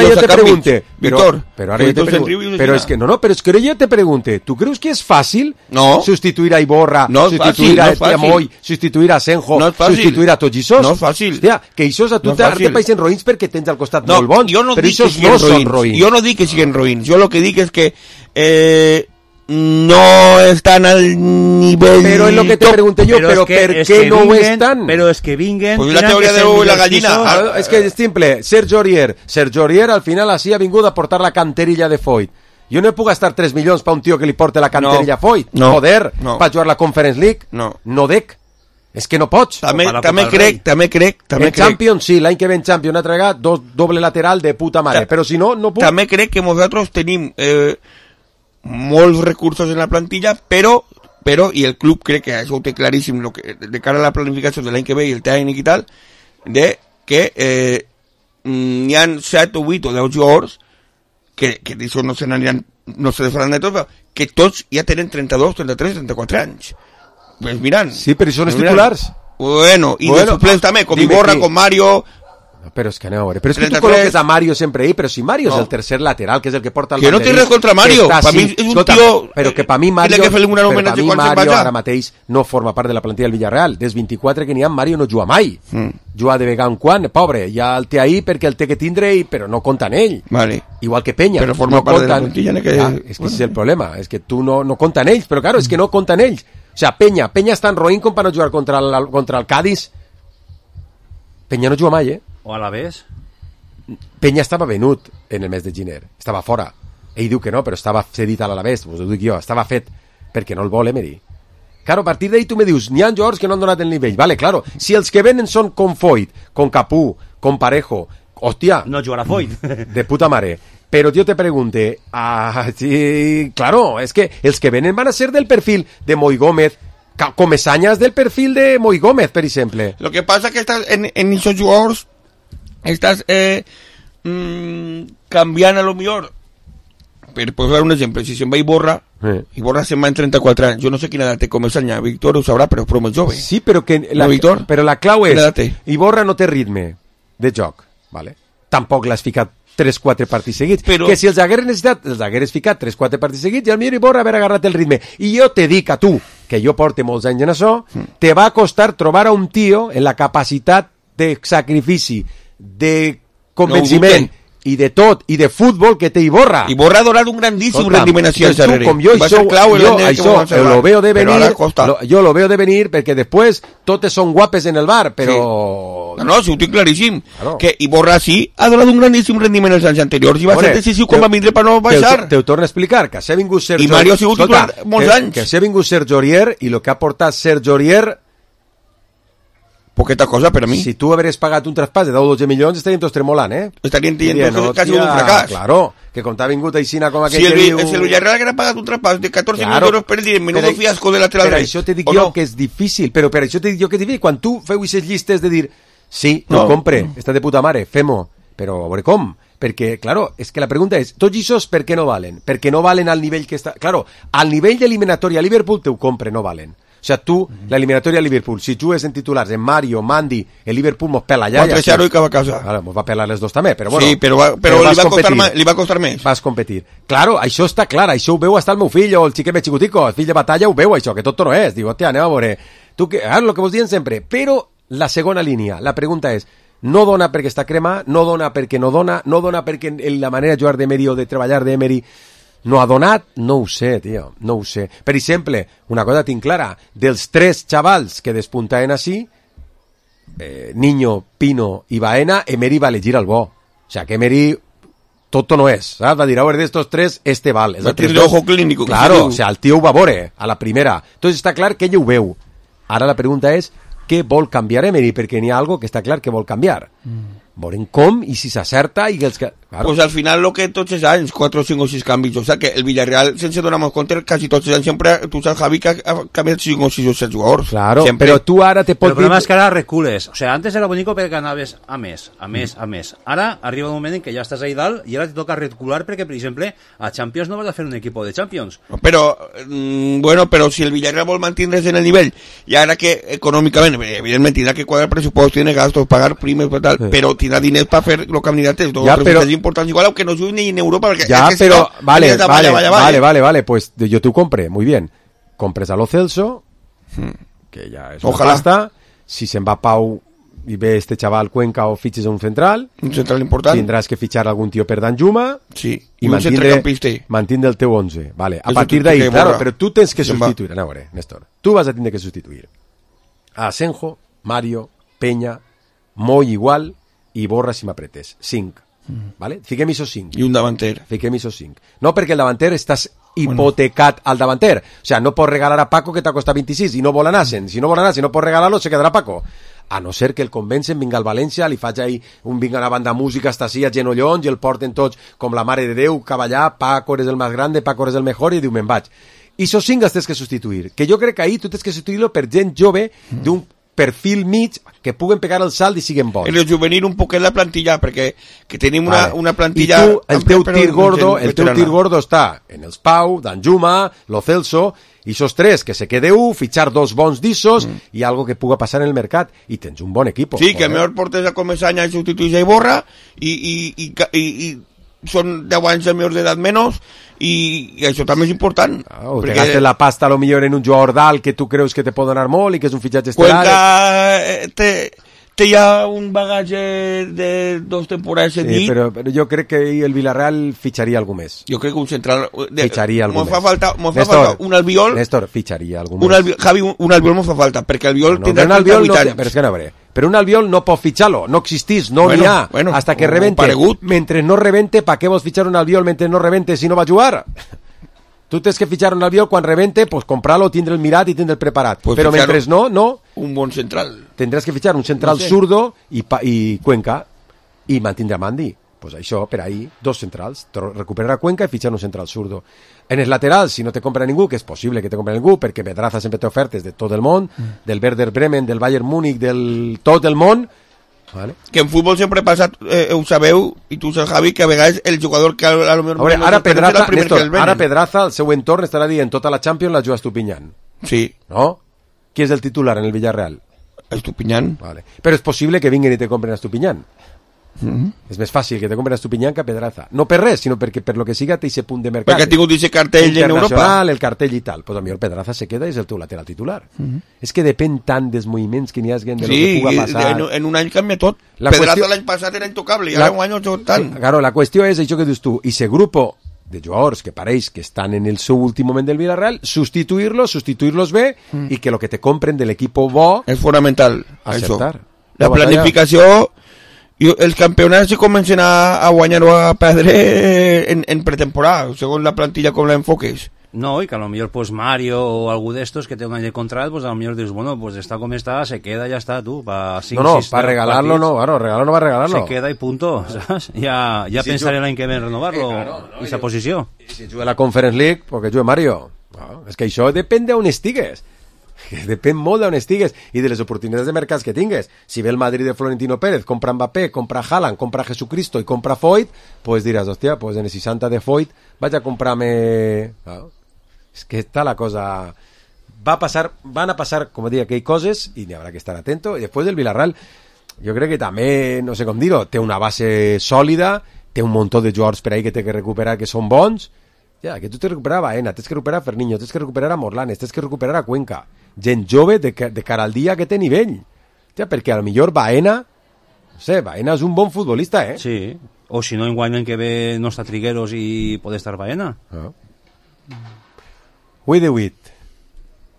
yo te pregunte. Víctor, pero ahora yo te pregunte. Pero es que pero es que yo te pregunte. ¿Tú crees que es fácil sustituir a Iborra, sustituir a Moi, sustituir a Asenjo, sustituir a Tollisos? No es fácil. Hostia, que esos a tu te paisen roïns perquè tens al costat molt bons. Però esos no són roïns. Jo no dic que siguen roïns. Jo lo que dic es que no están al nivel. Pero es lo que te pregunté yo, pero ¿por qué no están? Pero es que vinguen. Pues la teoría de la gallina. Es que es simple. Sergio Aurier al final así ha vingut a portar la canterilla de Foyt. Jo no puc gastar 3 milions per un tio que li porte la canterilla a Foyt. Joder, per jugar la Conference League. No dec. És que no pots. També crec. En Champions, sí, l'any que ve en Champions ha tragat doble lateral de puta mare. Però si no, no puc. També crec que nosaltres tenim molts recursos en la plantilla, però i el club crec que això ho té claríssim de cara a la planificació de l'any que ve i el tècnic i tal, de que n'hi ha 7 o 8 o 10 jugadors que d'això no se n'aniran, no se faran de tots, però que tots ja tenen 32, 33, 34 anys. Pues mirant. Sí, però són els titulars. Bueno, i de suplents també, com Iborra, com Mario. Però és que aneu a veure, però és que tu col·loques a Mario sempre ahí, però si Mario és el tercer lateral, que és el que porta el banderí. Que no té res contra Mario, per mi és un tio... Però que per mi Mario ara mateix no forma part de la plantilla del Villarreal. Des 24 que n'hi ha, Mario no juga mai. Juga de vegada en quan, pobre, ja el té ahí perquè el té que tindre, però no compta en ell. Vale. Igual que Peña. Però forma part de la plantilla. És que és el problema, és que tu no compta en ells, però claro, és que no compta en ells. O sea, Peña està en roïn com per no jugar contra el Cádiz. Peña no juga mai, O a la vez? Peña estava venut en el mes de gener, estava fora. Ell diu que no, però estava cedit a l'Alavés, us ho dic jo, estava fet perquè no el vol Emery. Claro, a partir d'ahí tu me dius, n'hi ha jugadors que no han donat el nivell. Vale, claro, si els que venen són com Foyt, com Capú, com Parejo, hòstia... No jugarà Foyt. De puta mare. Però jo te pregunte, sí, claro, es que els que venen van a ser del perfil de Moi Gómez, Comesañas del perfil de Moi Gómez, per exemple. Lo que pasa es que estás en esos jugadors estás canviant a lo millor, per posar un exemple, si se'n va Iborra se'n va en 34 anys, jo no sé quina edat té Comesaña, Víctor ho sabrà, però és prou jove. Sí, però la clau és, Iborra no té ritme de joc, vale? Tampoc l'has ficat 3-4 partits seguits, però... que si els hagués necessitat, els hagués ficat 3-4 partits seguits i al millor Iborra haver agarrat el ritme. I jo te dic a tu, que jo porte molts anys en això, te va costar trobar a un tio en la capacitat de sacrifici, de convenciment, i de tot, i de futbol que té Iborra. Iborra ha donat un grandíssim rendiment així al darrere. Com jo, això lo veo de venir, jo lo veo de venir perquè després totes són guapes en el bar, però... Sí. No, sí, ho tinc claríssim. Claro. Que Iborra sí ha donat un grandíssim rendiment els anys anteriors i va ser decisiu com va vindre per no baixar. Te ho torno a explicar, que s'ha vingut Sergio... I Mario ha sigut titular molts anys. Que s'ha vingut Sergio Aurier i el que ha portat Sergio Aurier... Poqueta cosa per a mi. Si tu hagués pagat un traspàs de 10 o 12 milions estaríem tots tremolant, Estaríem dient que ha sigut un fracàs. Claro, que com t'ha vingut aixina com aquell que diu... Si el Villarreal hagués pagat un traspàs de 14 milions d'euros per dir, menudo fiasco de lateral dret. Per això te dic jo que és difícil, però per això te dic jo que és difícil. Quan tu feu aquestes llistes de dir, sí, no compre, està de puta mare, fem-ho, però a veure com? Perquè, claro, és que la pregunta és, tots aquests per què no valen? Perquè no valen al nivell que està... Claro, al nivell d'eliminatòria a Liverpool te ho compre, no valen. O sea, tu, la eliminatoria a Liverpool, si jugues en titulars, en Mario, Mandy, el Liverpool mos pela ja. 4-0 i que va a casa. Ara, mos va pelar les dos també, però bueno. Sí, però li va costar més. Vas competir. Claro, això està clar, això ho veu hasta el meu fill, o el xiquet més xicutico, el fill de batalla ho veu, això, que tot no és. Diu, hòstia, anem a veure. Tu, lo que vos diuen sempre. Però la segona línia, la pregunta és, no dona perquè està crema, no dona perquè no dona perquè la manera de jugar d'Emery o de treballar d'Emery no ha donat, no ho sé, tio, no ho sé. Per exemple, una cosa tinc clara, dels 3 xavals que despuntaven així, Niño, Pino i Baena, Emery va elegir el bo. O sea, que Emery tot no és, saps? Va dir, a veure, d'estos 3, este val. Va tenir ojo clínico. Claro, o sea, el tio ho va veure a la primera. Entonces està clar que ell ho veu. Ara la pregunta és, què vol canviar Emery? Perquè n'hi ha algo que està clar que vol canviar. Veurem com i si s'acerta i els que... Claro. Pues al final lo que tots els anys, 4, 5 o 6 canvis, o sea que el Villarreal, sense donar-nos compte, quasi tots els anys sempre, tu saps, Javi, que ha canviat 5 o 6 o 7 jugadors. Claro, sempre. Però tu ara te pots... El problema és que ara recules. O sea, antes era bonico perquè anaves a més. Ara arriba un moment en què ja estàs ahí dalt i ara te toca recular perquè, per exemple, a Champions no vas a fer un equip de Champions. Però, bueno, però si el Villarreal vol mantindre's en el nivell, i ara que econòmicament, evidentment, tindrà que quadrar pressupost, tiene gastos, pagar primes, tal, però tindrà diners per fer los candidates, dos presidents importants, igual, aunque no juguen ni en Europa, porque ya, es que pero si no, vale, pues yo te compré, muy bien. Compres a Lo Celso, que ya es ojalá. Pasta. Si se va Pau y ve este chaval Cuenca o fiches a un central importante, tendrás que fichar algún tío per Danjuma, sí, y mantindre el teu 11, vale. A partir de ahí, claro, pero tú tienes que sustituir, no, Néstor, tú vas a tener que sustituir a Asenjo, Mario, Peña, Moy igual, i Borra si m'apretes, 5, vale? Fiquem això 5. I un davanter. Fiquem això 5. No, perquè el davanter estàs hipotecat al davanter. O sea, no pots regalar a Paco que t'ha costat 26 i no vol anar-se'n. Si no vol anar-se'n, no pots regalar-lo, se quedarà Paco. a no ser que el convencen, vinga al València, li faig ahí vinga una banda de música hasta així a genollons i el porten tots com la mare de Déu, cavallar, Paco eres el más grande, Paco eres el mejor, i diu, me'n vaig. I esos cinc els tens que substituir, que jo crec que ahí tu tens que substituir-lo per gent jove d'un perfil mig que puguen pegar el salt i siguen bons. El juvenil un poquet la plantilla, perquè que tenim una plantilla... I tu, el teu tir gordo està en els Pau, Danjuma, Lo Celso, i esos tres, que se quede fitxar dos bons d'issos i algo que puga passar en el mercat, i tens un bon equip. Sí, que millor portes a Comesaña i substituís a Iborra, i són 10 anys de millors d'edat menys, i això també és important. O te gastes la pasta a lo millor en un jugador d'alt que tu creus que te pot donar molt i que és un fitxatge estelar. Cuenca té ja un bagatge de 2 temporades en dit. Però jo crec que el Villarreal fitxaria algú més. Jo crec que un central... Fitxaria algú més. M'ho fa falta un Albiol... Néstor, fitxaria algú més. Javi, un Albiol m'ho fa falta, perquè Albiol tindrà 38 anys. Però és que no, però un Albiol no pot fitxar-lo, no existís, no n'hi ha, hasta que rebente. Mentre no rebente, pa què vols fitxar un Albiol mentre no rebente si no va a jugar? Tu tens que fitxar un Albiol quan rebente, pues comprarlo, tindre el mirat i tindre el preparat. Pues però mentre no... Un bon central. Tendràs que fitxar un central zurdo i Cuenca i mantindre a Mandi. Pues això, per ahí, 2 centrals. Recuperar a Cuenca i fitxar un central zurdo. En els laterals, si no te compra ningú, que és possible que te compre ningú, perquè Pedraza sempre té ofertes de tot el món, del Werder Bremen, del Bayern Múnich, del tot el món. Vale. Que en futbol sempre passa, ho sabeu, i tu saps, Javi, que a vegades el jugador que a lo millor... Ara Pedraza, al seu entorn, estarà dient tota la Champions la juga Estupiñán. Sí. No? Qui és el titular en el Villarreal? Estupiñán. Vale. Però és possible que vinguin i te compren Estupiñán. És més fàcil que te compren Estupiñán que Pedraza. No per res, sinó perquè per lo que siga té ese punt de mercat. Perquè ha tingut ese cartell en Europa. El cartell i tal. Pues a mi el Pedraza se queda i és el teu lateral titular. És que depèn tant dels moviments que n'hi hagi de lo que puga passar. Sí, en un any canvia tot. Pedraza l'any passat era intocable i ara un any no tant. Claro, la qüestió és això que dius tu. I ese grupo de jugadors que pareix que estan en el seu últim moment del Villarreal, substituir-los bé i que lo que te compren de l'equip bo és fonamental. Acceptar. La planificació... I els campionats se comencen a guanyar o a perdre en pretemporada, segons la plantilla com la enfoques. No, y que a lo mejor pues Mario o algú d'estos que té un any de contrato, pues a lo mejor dius, bueno, pues está como está, se queda, ya está, tú, para 5, no, para regalarlo no, claro, regalarlo no va a regalarlo. Se queda y punto, ¿sabes? Ya si pensaré l'any que ve en renovar-lo, i esa posició. Si juga la Conference League, porque juga Mario. No, és que això depèn d'on estigues. Depèn molt d'on estigues i de les oportunitats de mercats que tingues. Si ve el Madrid de Florentino Pérez, compra Mbappé, compra Haaland, compra Jesucristo i compra Foyt, pues diràs, hòstia, pues en el 60 de Foyt vaig a comprar-me... No? És que està la cosa... Van a passar, com dic, aquelles coses i n'hi haurà que estar atento. I després el Villarreal, jo crec que també, no sé com dir-ho, té una base sòlida, té un muntó de jugadors per ahí que té que recuperar que són bons. Ja, que tu t'has de recuperar a Baena, t'has que recuperar a Ferniño, t'has que recuperar a Morlanes, t'has que recuperar a Cuenca. Gent jove de cara al dia que té nivell. Ja, perquè a lo millor Baena, no sé, Baena és un bon futbolista, eh? Sí, o si no, en guany que ve no està Trigueros i pot estar Baena. Ui de 8.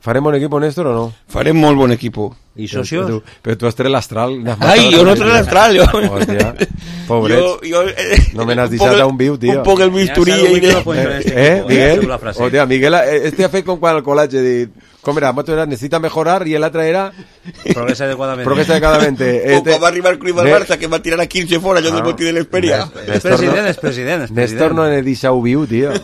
¿Farem bon equipo, Néstor, o no? Farem molt bon equipo. ¿Y socios? Pero tú has traído el astral. Ai, jo no traigo el astral, jo. Hòstia, pobrets. No me n'has deixat a un viu, tío. Un poc el bisturí. Miguel? Hòstia, Miguel, este ha fet com quan el col·legi dit, com era, necesita mejorar y el altre era... Progresa adecuadamente. Progresa adecuadamente. O com va arribar el Cruyff al Barça, que va tirar a 15 fora, jo del botí de l'Esperia. És president. Néstor no n'he deixat viu, tío.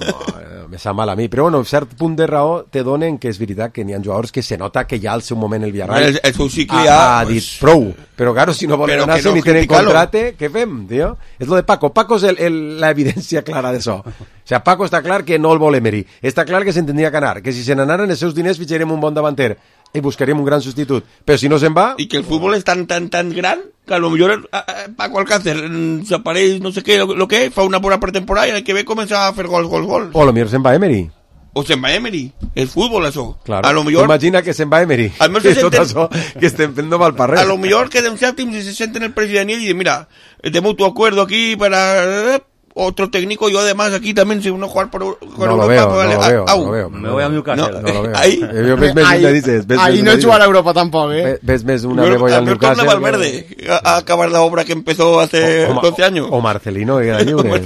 Me sap mal a mi, però bueno, un cert punt de raó te donen que és veritat que n'hi ha jugadors que se nota que ja al seu moment el Villarreal el seu cicle ja ha dit prou, però claro, si no volen anar-se ni tenen contrate, què fem, tio? És lo de Paco, Paco és la evidència clara d'això. O sea, Paco està clar que no el vol Emery, està clar que se'n tindria que anar, que si se n'anaren els seus diners fitxarem un bon davanter i buscaríem un gran substitut, però si no se'n va... I que el futbol és tan gran que a lo millor Paco Alcácer s'apareix, no sé què, lo que fa una bona pretemporada i el que ve comença a fer gols. O a lo millor se'n va Emery. O se'n va Emery. És futbol, això. Claro. A lo millor... Imagina que se'n va Emery. I tot això que estem fent no val per res. A lo millor queden sèptims i se senten el president i diuen, mira, de mutuo acuerdo aquí para... otro técnico, yo además aquí también si uno jugar por no lo veo. Me voy a Newcastle. No lo veo. Ahí no jugar a Europa tampoco, ¿eh? Ves una me voy al Newcastle. A Valverde a acabar la obra que empezó hace 12 años. O Marcelino, que era lliure.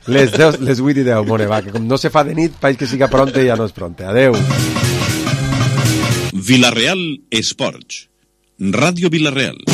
Les 8 i 10, mone, va, que com no se fa de nit, país que siga pronte ja no és pronte. Adeu. Villarreal Esports. Radio Villarreal.